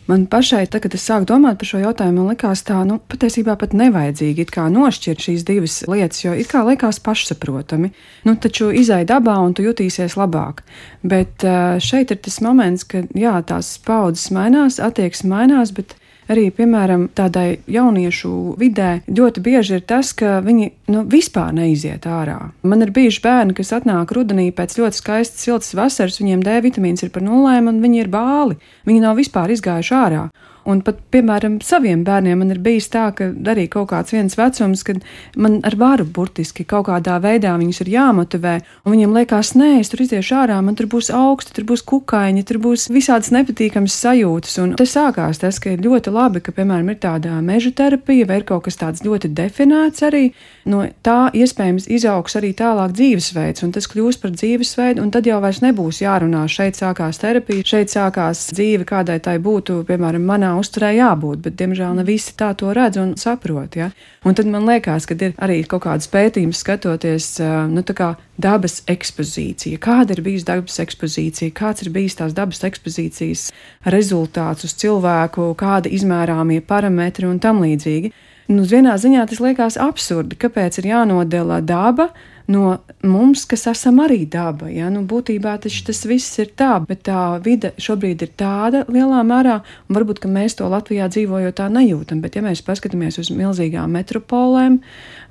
Man pašai, kad es sāku domāt par šo jautājumu, man likās tā, patiesībā pat nevajadzīgi it kā nošķirt šīs divas lietas, jo it kā likās pašsaprotami. Taču izai dabā un tu jutīsies labāk. Bet šeit ir tas moments, ka jā, tās paudzes mainās, attieksme mainās, bet arī, piemēram, tādai jauniešu vidē ļoti bieži ir tas, ka viņi vispār neiziet ārā. Man ir bijuši bērni, kas atnāk rudenī pēc ļoti skaistas siltas vasaras, viņiem D vitamīns ir par 0 un viņi ir bāli. Viņi nav vispār izgājuši ārā. Un pat, piemēram, saviem bērniem man ir bijis tā, ka arī kaut kāds viens vecums, kad man ar varu burtiski kaut kādā veidā viņus ir jāmotivē, un viņiem liekas, nē, es tur iziešu ārā, man tur būs augsti, tur būs kukaiņi, tur būs visādas nepatīkamas sajūtas, un te sākās tas, ka ir ļoti labi, ka, piemēram, ir tāda meža terapija, vai ir kaut kas tāds ļoti definēts arī, no tā iespējams izaugs arī tālāk dzīvesveids, un tas kļūs par dzīvesveidu, un tad jau vairs nebūs jārunā, šeit sākās terapija, šeit sākās dzīve, kādai tai būtu, piemēram, manā uzturē jābūt, bet, diemžēl, ne visi tā to redz un saprot, ja? Un tad man liekas, ka ir arī kaut kādas pētījumas skatoties, tā kā dabas ekspozīcija. Kāda ir bijusi dabas ekspozīcija? Kāds ir bijis tās dabas ekspozīcijas rezultāts uz cilvēku, kāda izmērāmie parametri un tam līdzīgi? Uz vienā ziņā tas liekas absurdi, kāpēc ir jānodala daba no mums, kas esam arī daba. Ja? Būtībā tas viss ir tā, bet tā vide šobrīd ir tāda lielā mērā, un varbūt, ka mēs to Latvijā dzīvojot tā nejūtam, bet ja mēs paskatāmies uz milzīgām metropolēm,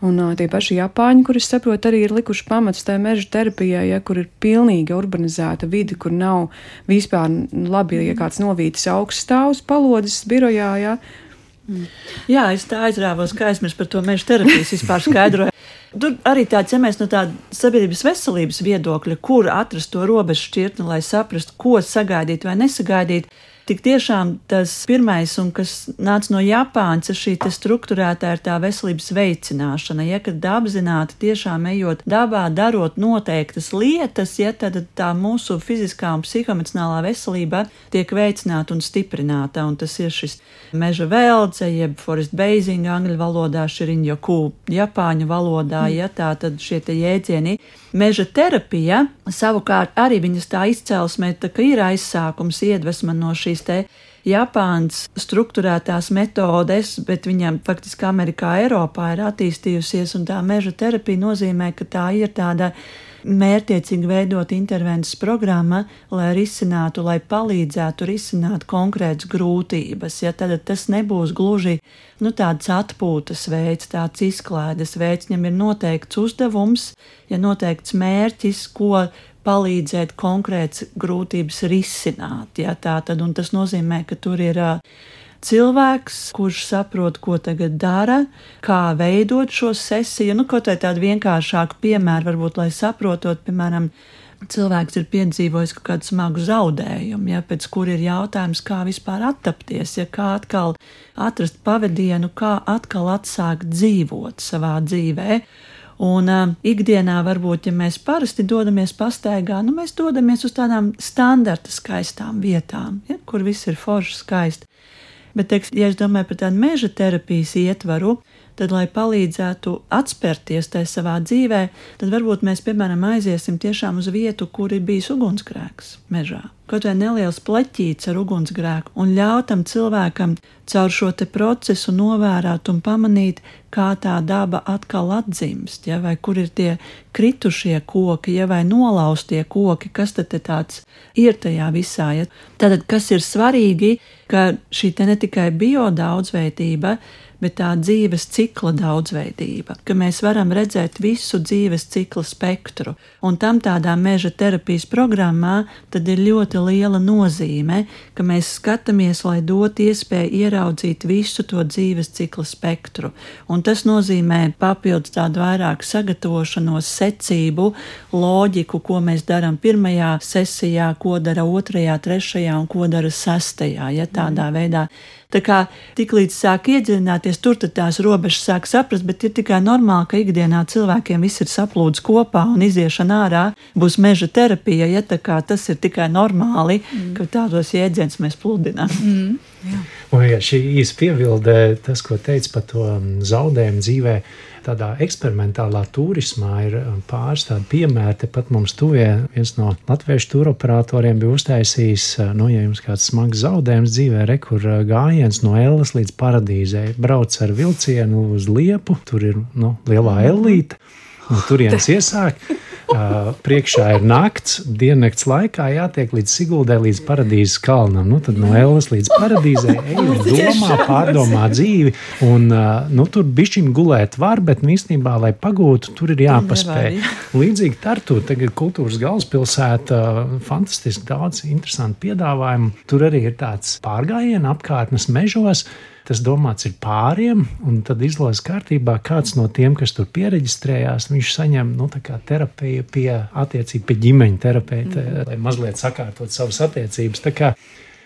un tie paši Japāņi, kur es saprotu, arī ir likuši pamats tai meža terapijai, ja, kur ir pilnīgi urbanizēta vide, kur nav vispār labi, ja kāds novītas augststāvs palodzes birojā, ja. Jā, es tā aizrāvos, ka aizmirst par to meža terapijas vispār skaidroju. Tur arī tāds, ja mēs no tāda sabiedrības veselības viedokļa, kur atrast to robežu šķirtni, lai saprastu, ko sagaidīt vai nesagaidīt, tik tiešām tas pirmais, un kas nāca no Japānas, šī strukturētā ir tā veselības veicināšana, ja, kad apzināti tiešām ejot dabā, darot noteiktas lietas, ja, tad tā mūsu fiziskā un psihoemocionālā veselība tiek veicināta un stiprināta, un tas ir šis meža veldze, jeb forest bathing angļu valodā, shirin-yoku japāņu valodā, ja, tā tad šie te jēdzieni. Meža terapija, savukārt arī viņas tā izcelsmē, tā ka ir aizsākums iedvesma no šīs te Japānas strukturētās metodes, bet viņam faktiski Amerikā, Eiropā ir attīstījusies, un tā meža terapija nozīmē, ka tā ir tāda mērķiecīgi veidot intervences programma, lai risinātu, lai palīdzētu risināt konkrētas grūtības. Ja, tad tas nebūs gluži tāds atpūtas veids, tāds izklaides veids, viņam ir noteikts uzdevums, ja noteikts mērķis, ko palīdzēt konkrētas grūtības risināt. Ja, tātad, un tas nozīmē, ka tur ir cilvēks, kurš saprot, ko tagad dara, kā veidot šo sesiju. Kaut vai tādu vienkāršāku piemēru, varbūt, lai saprotot, piemēram, cilvēks ir piedzīvojis kaut kādu smagu zaudējumu, ja, pēc kur ir jautājums, kā vispār attapties, ja, kā atkal atrast pavadienu, kā atkal atsākt dzīvot savā dzīvē. Un ikdienā varbūt, ja mēs parasti dodamies pastaigā, mēs dodamies uz tādām standarta skaistām vietām, ja, kur viss ir forši skaisti. Bet, ja es domāju par tādu meža terapijas ietvaru, tad, lai palīdzētu atspērties tajā savā dzīvē, tad varbūt mēs, piemēram, aiziesim tiešām uz vietu, kur ir bijis ugunsgrēks mežā. Kaut vai neliels pleķīts ar ugunsgrēku, un ļautam cilvēkam caur šo te procesu novērāt un pamanīt, kā tā daba atkal atdzimst, ja, vai kur ir tie kritušie koki, ja, vai nolaustie koki, kas tad tāds ir tajā visā. Ja. Tātad, kas ir svarīgi, ka šī te ne tikai biodaudzveidība, bet tā dzīves cikla daudzveidība, ka mēs varam redzēt visu dzīves cikla spektru. Un tam tādā meža terapijas programmā tad ir ļoti liela nozīme, ka mēs skatāmies, lai dot iespēju ieraudzīt visu to dzīves cikla spektru. Un tas nozīmē papildus tādu vairāk sagatavošanos, secību, loģiku, ko mēs darām pirmajā sesijā, ko dara otrajā, trešajā un ko dara sestajā, ja tādā veidā. Tā kā tiklīdz sāk iedziļināties, tur tad tās robežas sāk saprast, bet ir tikai normāli, ka ikdienā cilvēkiem viss ir saplūdis kopā un iziešana ārā būs meža terapija, ja tā kā tas ir tikai normāli, ka tādos jēdzienus mēs pludinām. Un ja šī īsa piebilde, tas, ko teica par to zaudējumu dzīvē, tādā eksperimentālā turismā ir pāris tādi piemēri, tepat mums tuvie. Viens no latviešu turoperatoriem bija uztaisījis, ja jums kāds smags zaudējums dzīvē, kur gājiens no Elles līdz Paradīzei. Brauc ar vilcienu uz Liepu, tur ir lielā ellīte, un turienes iesāk. Priekšā ir nakts, diennakts laikā jātiek līdz Siguldai, līdz Paradīzes kalnam. Tad no Elles līdz Paradīzei domā, pārdomā dzīvi. Un, tur bišķiņ gulēt var, bet īstenībā, lai pagūtu, tur ir jāpaspēj. Līdzīgi Tartu, tagad kultūras galvaspilsēta, fantastiski daudz interesantu piedāvājumu. Tur arī ir tāds pārgājiena apkārtnes mežos. Tas domāts ir pāriem, un tad izlozes kārtībā kāds no tiem, kas tur piereģistrējās, viņš saņem terapiju pie ģimeņa terapeita, lai mazliet sakārtot savas attiecības. Tā kā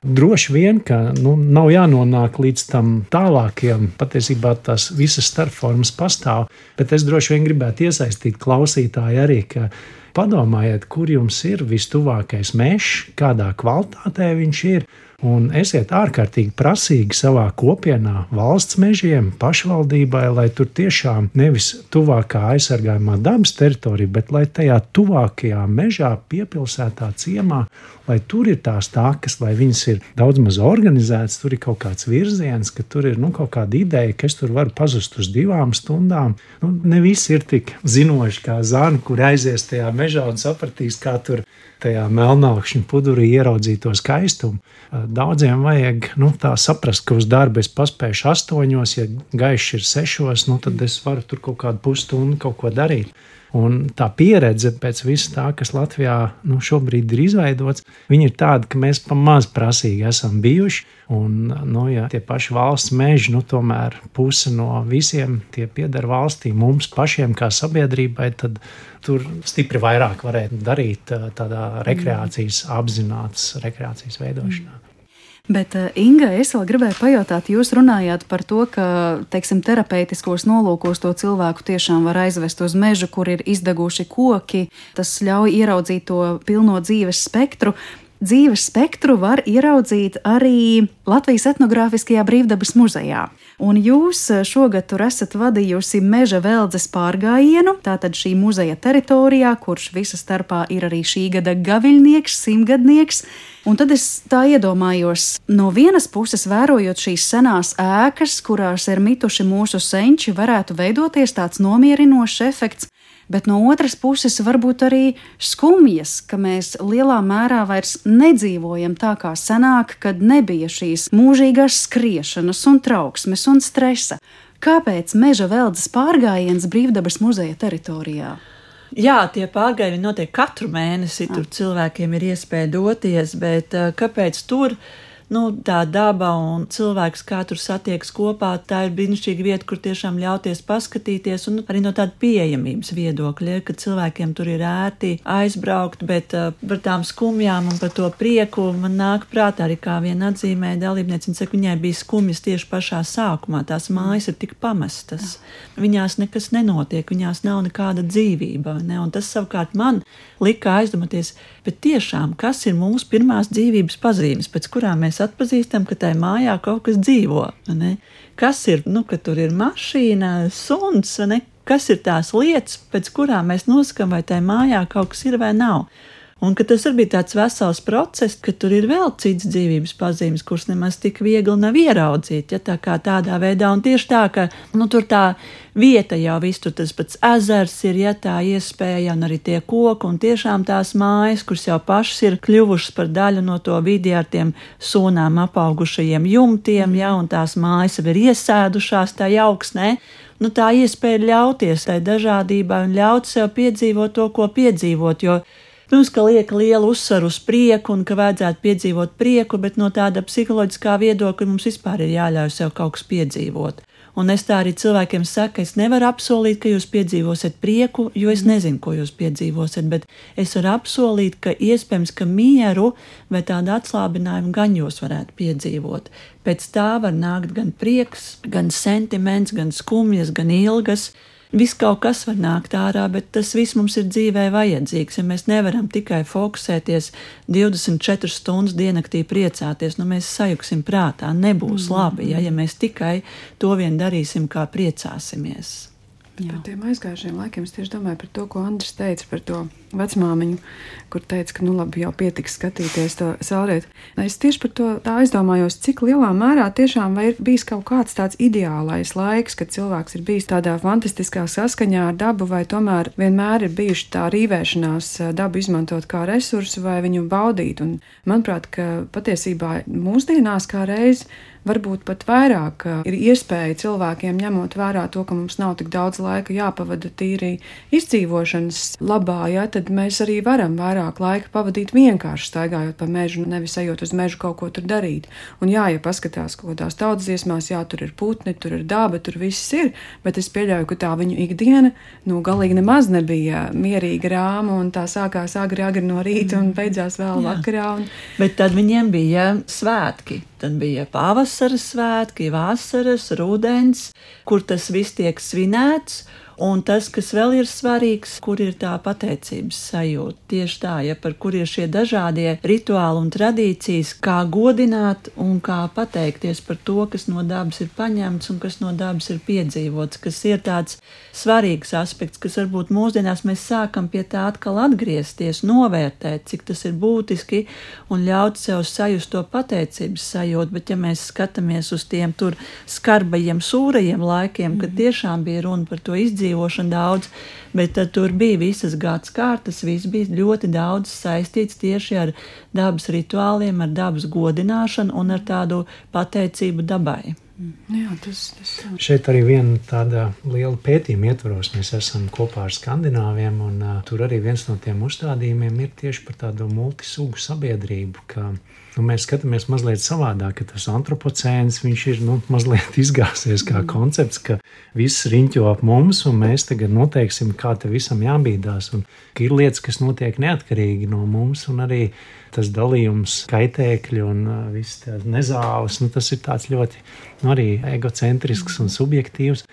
droši vien, ka nav jānonāk līdz tam tālākiem, patiesībā tās visas starpformas pastāv, bet es droši vien gribētu iesaistīt klausītāju arī, ka padomājiet, kur jums ir vistuvākais mežs, kādā kvalitātē viņš ir, un esiet ārkārtīgi prasīgi savā kopienā, valsts mežiem, pašvaldībai, lai tur tiešām nevis tuvākā aizsargājumā dabas teritorija, bet lai tajā tuvākajā mežā, piepilsētā ciemā, lai tur ir tās takas, lai viņas ir daudz maz organizētas, tur ir kaut kāds virziens, ka tur ir kaut kāda ideja, ka es tur varu pazust uz 2 stundām. Ne visi ir tik zinoši kā Zana, kur aizies tajā mežā un sapratīs, kā tur tajā melnākšņu pudurī ieraudzīt to skaistumu. Daudziem vajag tā saprast, ka uz darbu es paspēšu 8, ja gaišs ir 6, tad es varu tur kaut kādu pusstundu kaut ko darīt. Un tā pieredze pēc visa tā, kas Latvijā šobrīd ir izveidots, viņa ir tāda, ka mēs pamaz prasīgi esam bijuši. Un, ja tie paši valsts meži, tomēr puse no visiem tie pieder valstī, mums pašiem kā sabiedrībai, tad tur stipri vairāk varētu darīt tādā rekreācijas, apzinātas rekreācijas veidošanā. Bet, Inga, es vēl gribēju pajautāt, jūs runājāt par to, ka, terapeitiskos nolūkos to cilvēku tiešām var aizvest uz mežu, kur ir izdeguši koki. Tas ļauj ieraudzīt to pilno dzīves spektru. Dzīves spektru var ieraudzīt arī Latvijas etnogrāfiskajā brīvdabas muzejā. Un jūs šogad tur esat vadījusi meža veldzes pārgājienu, tātad šī muzeja teritorijā, kurš visa starpā ir arī šī gada gaviļnieks, 100-gadnieks. Un tad es tā iedomājos, no vienas puses vērojot šīs senās ēkas, kurās ir mituši mūsu senči, varētu veidoties tāds nomierinošs efekts. Bet no otras puses varbūt arī skumjas, ka mēs lielā mērā vairs nedzīvojam tā kā senāk, kad nebija šīs mūžīgās skriešanas un trauksmes un stresa. Kāpēc meža veldzes pārgājiens brīvdabas muzeja teritorijā? Jā, tie pārgājieni notiek katru mēnesi, tur cilvēkiem ir iespēja doties, bet kāpēc tur? Tā daba un cilvēks, kā tur satiekas kopā, tā ir brīnišķīga vieta, kur tiešām ļauties paskatīties, un arī no tāda pieejamības viedokļa, ka cilvēkiem tur ir ērti aizbraukt, bet par tām skumjām un par to prieku man nāk prātā arī kā viena atzīmē dalībniece, viņa saka, viņai bija skumjas tieši pašā sākumā, tās mājas ir tik pamestas, viņās nekas nenotiek, viņās nav nekāda dzīvība, ne? Un tas savukārt man lika aizdomāties, bet tiešām, kas ir mūsu pirmās dzīvības pazīmes, pēc kurām mēs atpazīstam, ka tajā mājā kaut kas dzīvo. Ne? Kas ir, ka tur ir mašīna, suns, ne? Kas ir tās lietas, pēc kurām mēs nosakām, vai tajā mājā kaut kas ir vai nav. Un ka tas arī bija tāds vesels process, ka tur ir vēl cits dzīvības pazīmes, kuras nemaz tik viegli nav ieraudzīt, ja tā kā tādā veidā. Un tieši tā, ka tur tā vieta jau viss, tur tas pats ezers ir, ja tā iespēja, un arī tie koki, un tiešām tās mājas, kuras jau pašas ir kļuvušas par daļu no to vidi ar tiem sūnām apaugušajiem jumtiem, ja, un tās mājas jau ir iesēdušās tā augsnē. Tā iespēja ļauties tai dažādībai un ļaut sev piedzīvot to, ko piedzīvot, jo protams, ka liek lielu uzsvaru uz prieku un ka vajadzētu piedzīvot prieku, bet no tāda psiholoģiskā viedokļa mums vispār ir jāļauj sev kaut kas piedzīvot. Un es tā arī cilvēkiem saku, es nevaru apsolīt, ka jūs piedzīvosiet prieku, jo es nezinu, ko jūs piedzīvosiet, bet es varu apsolīt, ka iespējams, ka mieru vai tādu atslābinājumu gan jūs varētu piedzīvot. Pēc tā var nākt gan prieks, gan sentiments, gan skumjas, gan ilgas. Viss kaut kas var nākt ārā, bet tas viss mums ir dzīvē vajadzīgs. Ja mēs nevaram tikai fokusēties 24 stundas diennaktī priecāties, mēs sajuksim prātā, nebūs labi, ja mēs tikai to vien darīsim, kā priecāsimies. Par tiem aizgājušiem laikiem es tieši domāju par to, ko Andris teica par to vecmāmiņu, kur teica, ka labi, jau pietiks skatīties to saulrietu. Es tieši par to tā aizdomājos, cik lielā mērā tiešām vai ir bijis kaut kāds tāds ideālais laiks, kad cilvēks ir bijis tādā fantastiskā saskaņā ar dabu, vai tomēr vienmēr ir bijuši tā rīvēšanās dabu izmantot kā resursu vai viņu baudīt. Un manuprāt, ka patiesībā mūsdienās kā reiz varbūt pat vairāk ir iespēja cilvēkiem ņemot vērā to, ka mums nav tik daudz laika jāpavada tīri izdzīvošanas labā, tad mēs arī varam vairāk laika pavadīt vienkārši staigājot pa mežu, nevis ejot uz mežu kaut ko tur darīt. Un ja paskatās kaut kādās tautsdziesmās, tur ir putni, tur ir daba, tur viss ir, bet es pieļauju, ka tā viņu ikdiena, galīgi nemaz nebija mierīga rāma, un tā sākās agri no rīta un beidzās vēl vakarā. Bet tad viņiem bija svētki. Tad bija pavasaras svētki, vasaras, rudens, kur tas viss tiek svinēts, Un tas, kas vēl ir svarīgs, kur ir tā pateicības sajūta. Tieši tā, ja par kur ir šie dažādie rituāli un tradīcijas, kā godināt un kā pateikties par to, kas no dabas ir paņemts un kas no dabas ir piedzīvots, kas ir tāds svarīgs aspekts, kas varbūt mūsdienās mēs sākam pie tā atkal atgriezties, novērtēt, cik tas ir būtiski un ļaut sev sajust to pateicības sajūtu, bet ja mēs skatāmies uz tiem tur skarbajiem, sūrajiem laikiem, kad tiešām bija runa par to izdzīvošanu daudz, bet tad tur bija visas gadskārtas, viss bija ļoti daudz saistīts tieši ar dabas rituāliem, ar dabas godināšanu un ar tādu pateicību dabai. Jā, tas. Šeit arī viena tāda liela pētījuma ietvaros mēs esam kopā ar skandināviem, un tur arī viens no tiem uzstādījumiem ir tieši par tādu multisugu sabiedrību, ka mēs skatāmies mazliet savādāk, ka tas antropocēns, viņš ir mazliet izgāsies kā koncepts, ka viss riņķo ap mums, un mēs tagad noteiksim, kā te visam jābīdās, un ka ir lietas, kas notiek neatkarīgi no mums, un arī tas dalījums kaitēkļi un viss tās nezāles, tas ir tāds ļoti arī egocentrisks un subjektīvs.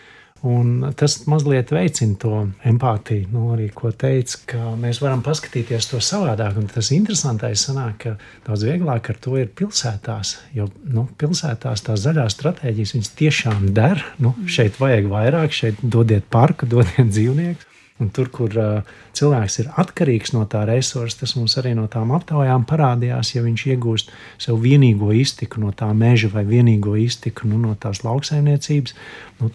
Un tas mazliet veicina to empātiju, arī ko teica, ka mēs varam paskatīties to savādāk. Un tas interesantais sanāk, ka daudz vieglāk ar to ir pilsētās, jo pilsētās tās zaļās stratēģijas, viņas tiešām der. Šeit vajag vairāk, šeit dodiet parku, dodiet dzīvnieku. Un tur, kur cilvēks ir atkarīgs no tā resursa, tas mums arī no tām aptaujām parādījās, ja viņš iegūst sev vienīgo iztiku no tā meža vai vienīgo iztiku no tās lauksaimniecības,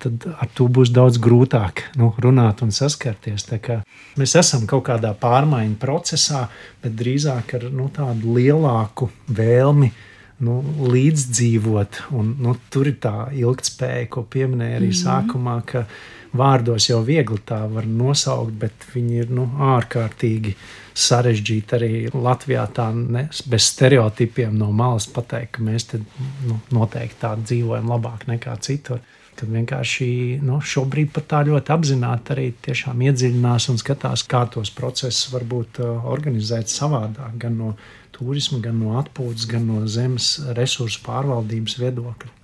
tad ar to būs daudz grūtāk runāt un saskarties. Tā kā mēs esam kaut kādā pārmaiņu procesā, bet drīzāk ar tādu lielāku vēlmi līdzdzīvot. Un tur ir tā ilgtspēja, ko pieminēja arī sākumā, ka vārdos jau viegli tā var nosaukt, bet viņi ir ārkārtīgi sarežģīti arī Latvijā tā bez stereotipiem no malas pateikt, ka mēs te noteikti tā dzīvojam labāk nekā citur. Kad vienkārši šobrīd pat tā ļoti apzināti arī tiešām iedziļinās un skatās, kā tos procesus varbūt organizēt savādāk, gan no turisma, gan no atpūtas, gan no zemes resursu pārvaldības viedokļa.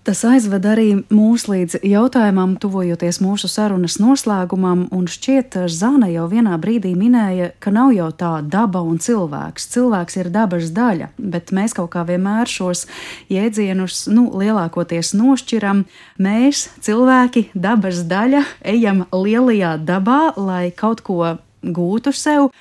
Tas aizved arī mūs līdz jautājumam, tuvojoties mūsu sarunas noslēgumam, un šķiet, Zana jau vienā brīdī minēja, ka nav jau tā daba un cilvēks. Cilvēks ir dabas daļa, bet mēs kaut kā vienmēr šos jēdzienus lielākoties nošķiram. Mēs, cilvēki, dabas daļa, ejam lielajā dabā, lai kaut ko gūtu sev.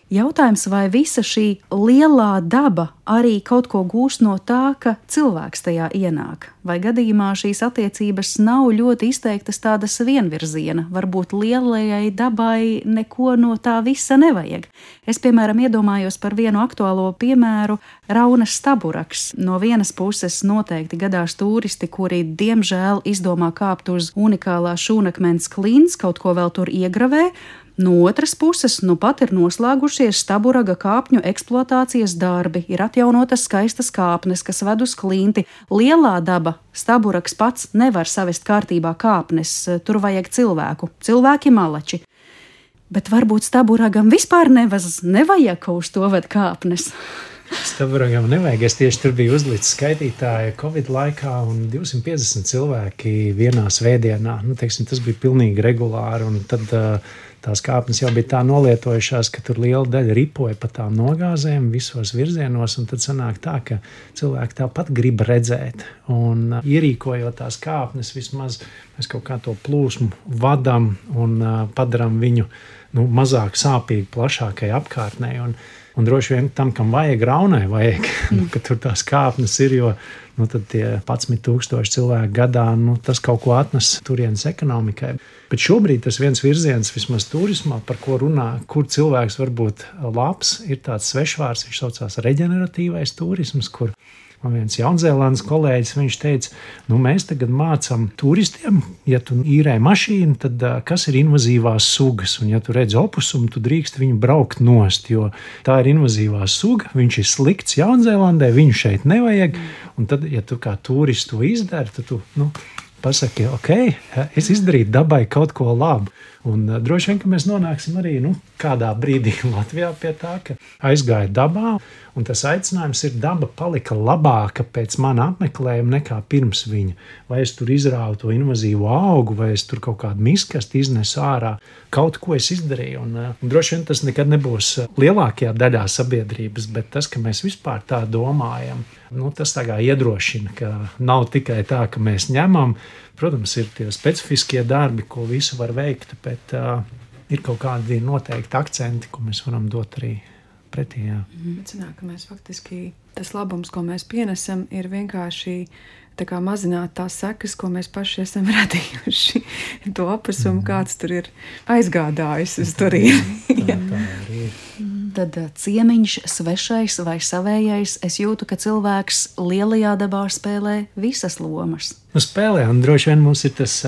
Jautājums, vai visa šī lielā daba arī kaut ko gūst no tā, ka cilvēks tajā ienāk? Vai gadījumā šīs attiecības nav ļoti izteiktas tādas vienvirziena? Varbūt lielajai dabai neko no tā visa nevajag. Es, piemēram, iedomājos par vienu aktuālo piemēru – Raunas staburaks. No vienas puses noteikti gadās turisti, kuri, diemžēl, izdomā kāpt uz unikālā šūnakmens klints, kaut ko vēl tur iegravē. No otras puses, pat ir noslēgušies staburaga kāpņu eksploatācijas darbi, ir atjaunotas skaistas kāpnes, kas ved uz klinti. Lielā daba, staburaks pats nevar savest kārtībā kāpnes, tur vajag cilvēku, cilvēki malači. Bet varbūt staburagam vispār nevajag uz to ved kāpnes. Staburagam nevajag, es tieši tur biju uzlicis skaitītāju Covid laikā un 250 cilvēki vienā svētdienā. Tas bija pilnīgi regulāri, un tad tās kāpnes jau bija tā nolietojušās, ka tur liela daļa ripoja pa tām nogāzēm visos virzienos, un tad sanāk tā, ka cilvēki tāpat grib redzēt. Un ierīkojot tās kāpnes, vismaz mēs kaut kā to plūsmu vadam un padaram viņu mazāk sāpīgi plašākai apkārtnei. Un droši vien tam, kam vajag, Raunai vajag, ka tur tās kāpnes ir, jo tad tie 11,000 cilvēku gadā, tas kaut ko atnes turienes ekonomikai. Bet šobrīd tas viens virziens, vismaz turismā, par ko runā, kur cilvēks var būt labs, ir tāds svešvārds, viņš saucās reģeneratīvais turisms, kur man viens Jaunzēlandes kolēģis, viņš teica, mēs tagad mācam turistiem, ja tu īrē mašīnu, tad kas ir invazīvās sugas, un ja tu redz opusumu, tu drīkst viņu braukt nost, jo tā ir invazīvā suga, viņš ir slikts Jaunzēlandē, viņu šeit nevajag, un tad, ja tu kā turistu izdari, tad tu, pasaki, ok, es izdarīju dabai kaut ko labu. Un droši vien, ka mēs nonāksim arī kādā brīdī Latvijā pie tā, ka aizgāja dabā, un tas aicinājums ir daba palika labāka pēc mana apmeklējuma nekā pirms viņa. Vai es tur izrāvu to invazīvo augu, vai es tur kaut kādu miskastu iznesu ārā, kaut ko es izdarīju. Un droši vien tas nekad nebūs lielākajā daļā sabiedrības, bet tas, ka mēs vispār tā domājam, tas tā kā iedrošina, ka nav tikai tā, ka mēs ņemam. Protams, ir tie specifiskie darbi, ko visu var veikt, bet ir kaut kādi noteikti akcenti, ko mēs varam dot arī pretī. Sanāk, ka mēs faktiski tas labums, ko mēs pienesam, ir vienkārši tā kā mazināt tās sekas, ko mēs paši esam radījuši. To apasumu, kāds tur ir aizgādājis uz turieni. Tad ciemiņš, svešais vai savējais, es jūtu, ka cilvēks lielajā dabā spēlē visas lomas. Spēlē, un droši vien mums ir tas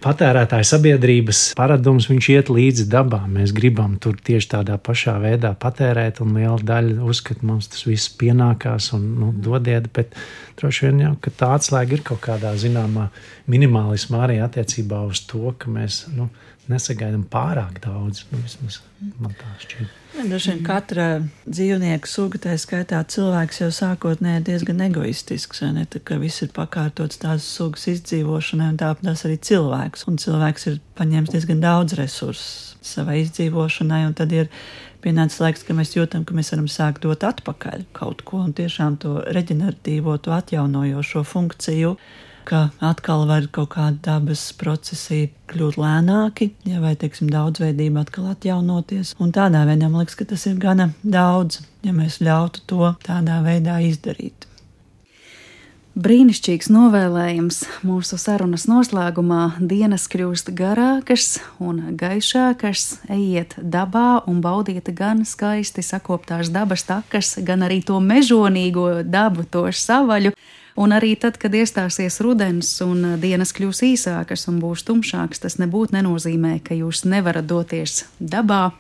patērētāja sabiedrības paradums, viņš iet līdzi dabā. Mēs gribam tur tieši tādā pašā veidā patērēt, un liela daļa uzskata, mums tas viss pienākās un dodiet, bet droši vien jau, ka tā atslēga ir kaut kādā zināmā minimālismā arī attiecībā uz to, ka mēs nesagaidām pārāk daudz. Vismaz man tā šķiet. Dažreiz vien katra dzīvnieka suga, tā skaitā cilvēks jau sākotnēji diezgan egoistisks, ne? Tā, ka viss ir pakārtots tās sugas izdzīvošanai, un tāpēc arī cilvēks. Un cilvēks ir paņēmis diezgan daudz resursus savai izdzīvošanai, un tad ir pienācis laiks, ka mēs jūtam, ka mēs varam sākt dot atpakaļ kaut ko, un tiešām to reģeneratīvo, to atjaunojošo funkciju, ka atkal var kaut kādi dabas procesi kļūt lēnāki, vai, teiksim, daudzveidība atkal atjaunoties. Un tādā veidā man liekas, ka tas ir gana daudz, ja mēs ļautu to tādā veidā izdarīt. Brīnišķīgs novēlējums mūsu sarunas noslēgumā. Dienas kļūst garākas un gaišākas. Ejiet dabā un baudiet gan skaisti sakoptās dabas takas, gan arī to mežonīgo dabu, to savaļu. Un arī tad, kad iestāsies rudens un dienas kļūs īsākas un būs tumšākas, tas nebūtu nenozīmē, ka jūs nevarat doties dabā.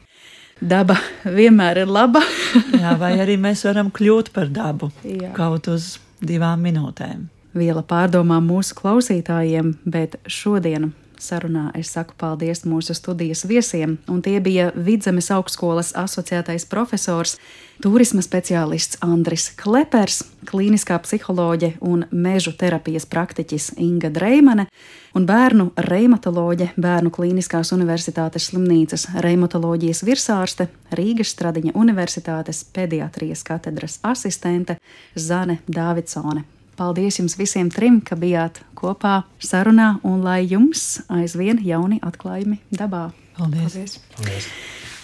Daba vienmēr ir laba. Jā, vai arī mēs varam kļūt par dabu kaut uz 2 minūtēm. Viela pārdomām mūsu klausītājiem, bet šodien sarunā es saku paldies mūsu studijas viesiem, un tie bija Vidzemes augstskolas asociētais profesors, turisma speciālists Andris Klepers, klīniskā psiholoģe un mežu terapijas praktiķis Inga Dreimane un bērnu reimatoloģe Bērnu Klīniskās universitātes slimnīcas reimatoloģijas virsārste, Rīgas Stradiņa universitātes pediatrijas katedras asistente Zane Dāvidsone. Paldies jums visiem 3, ka bijāt kopā sarunā, un lai jums aizvien jauni atklājumi dabā. Paldies! Paldies.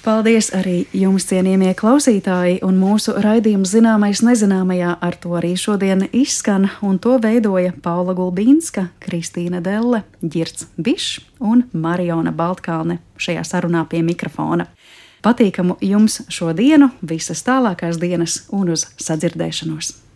Paldies arī jums, cienījamie klausītāji, un mūsu raidījums Zināmais nezināmajā ar to arī šodien izskan, un to veidoja Paula Gulbīnska, Kristīna Delle, Ģirds Bišs un Mariona Baltkalne šajā sarunā pie mikrofona. Patīkamu jums šo dienu, visas tālākās dienas un uz sadzirdēšanos!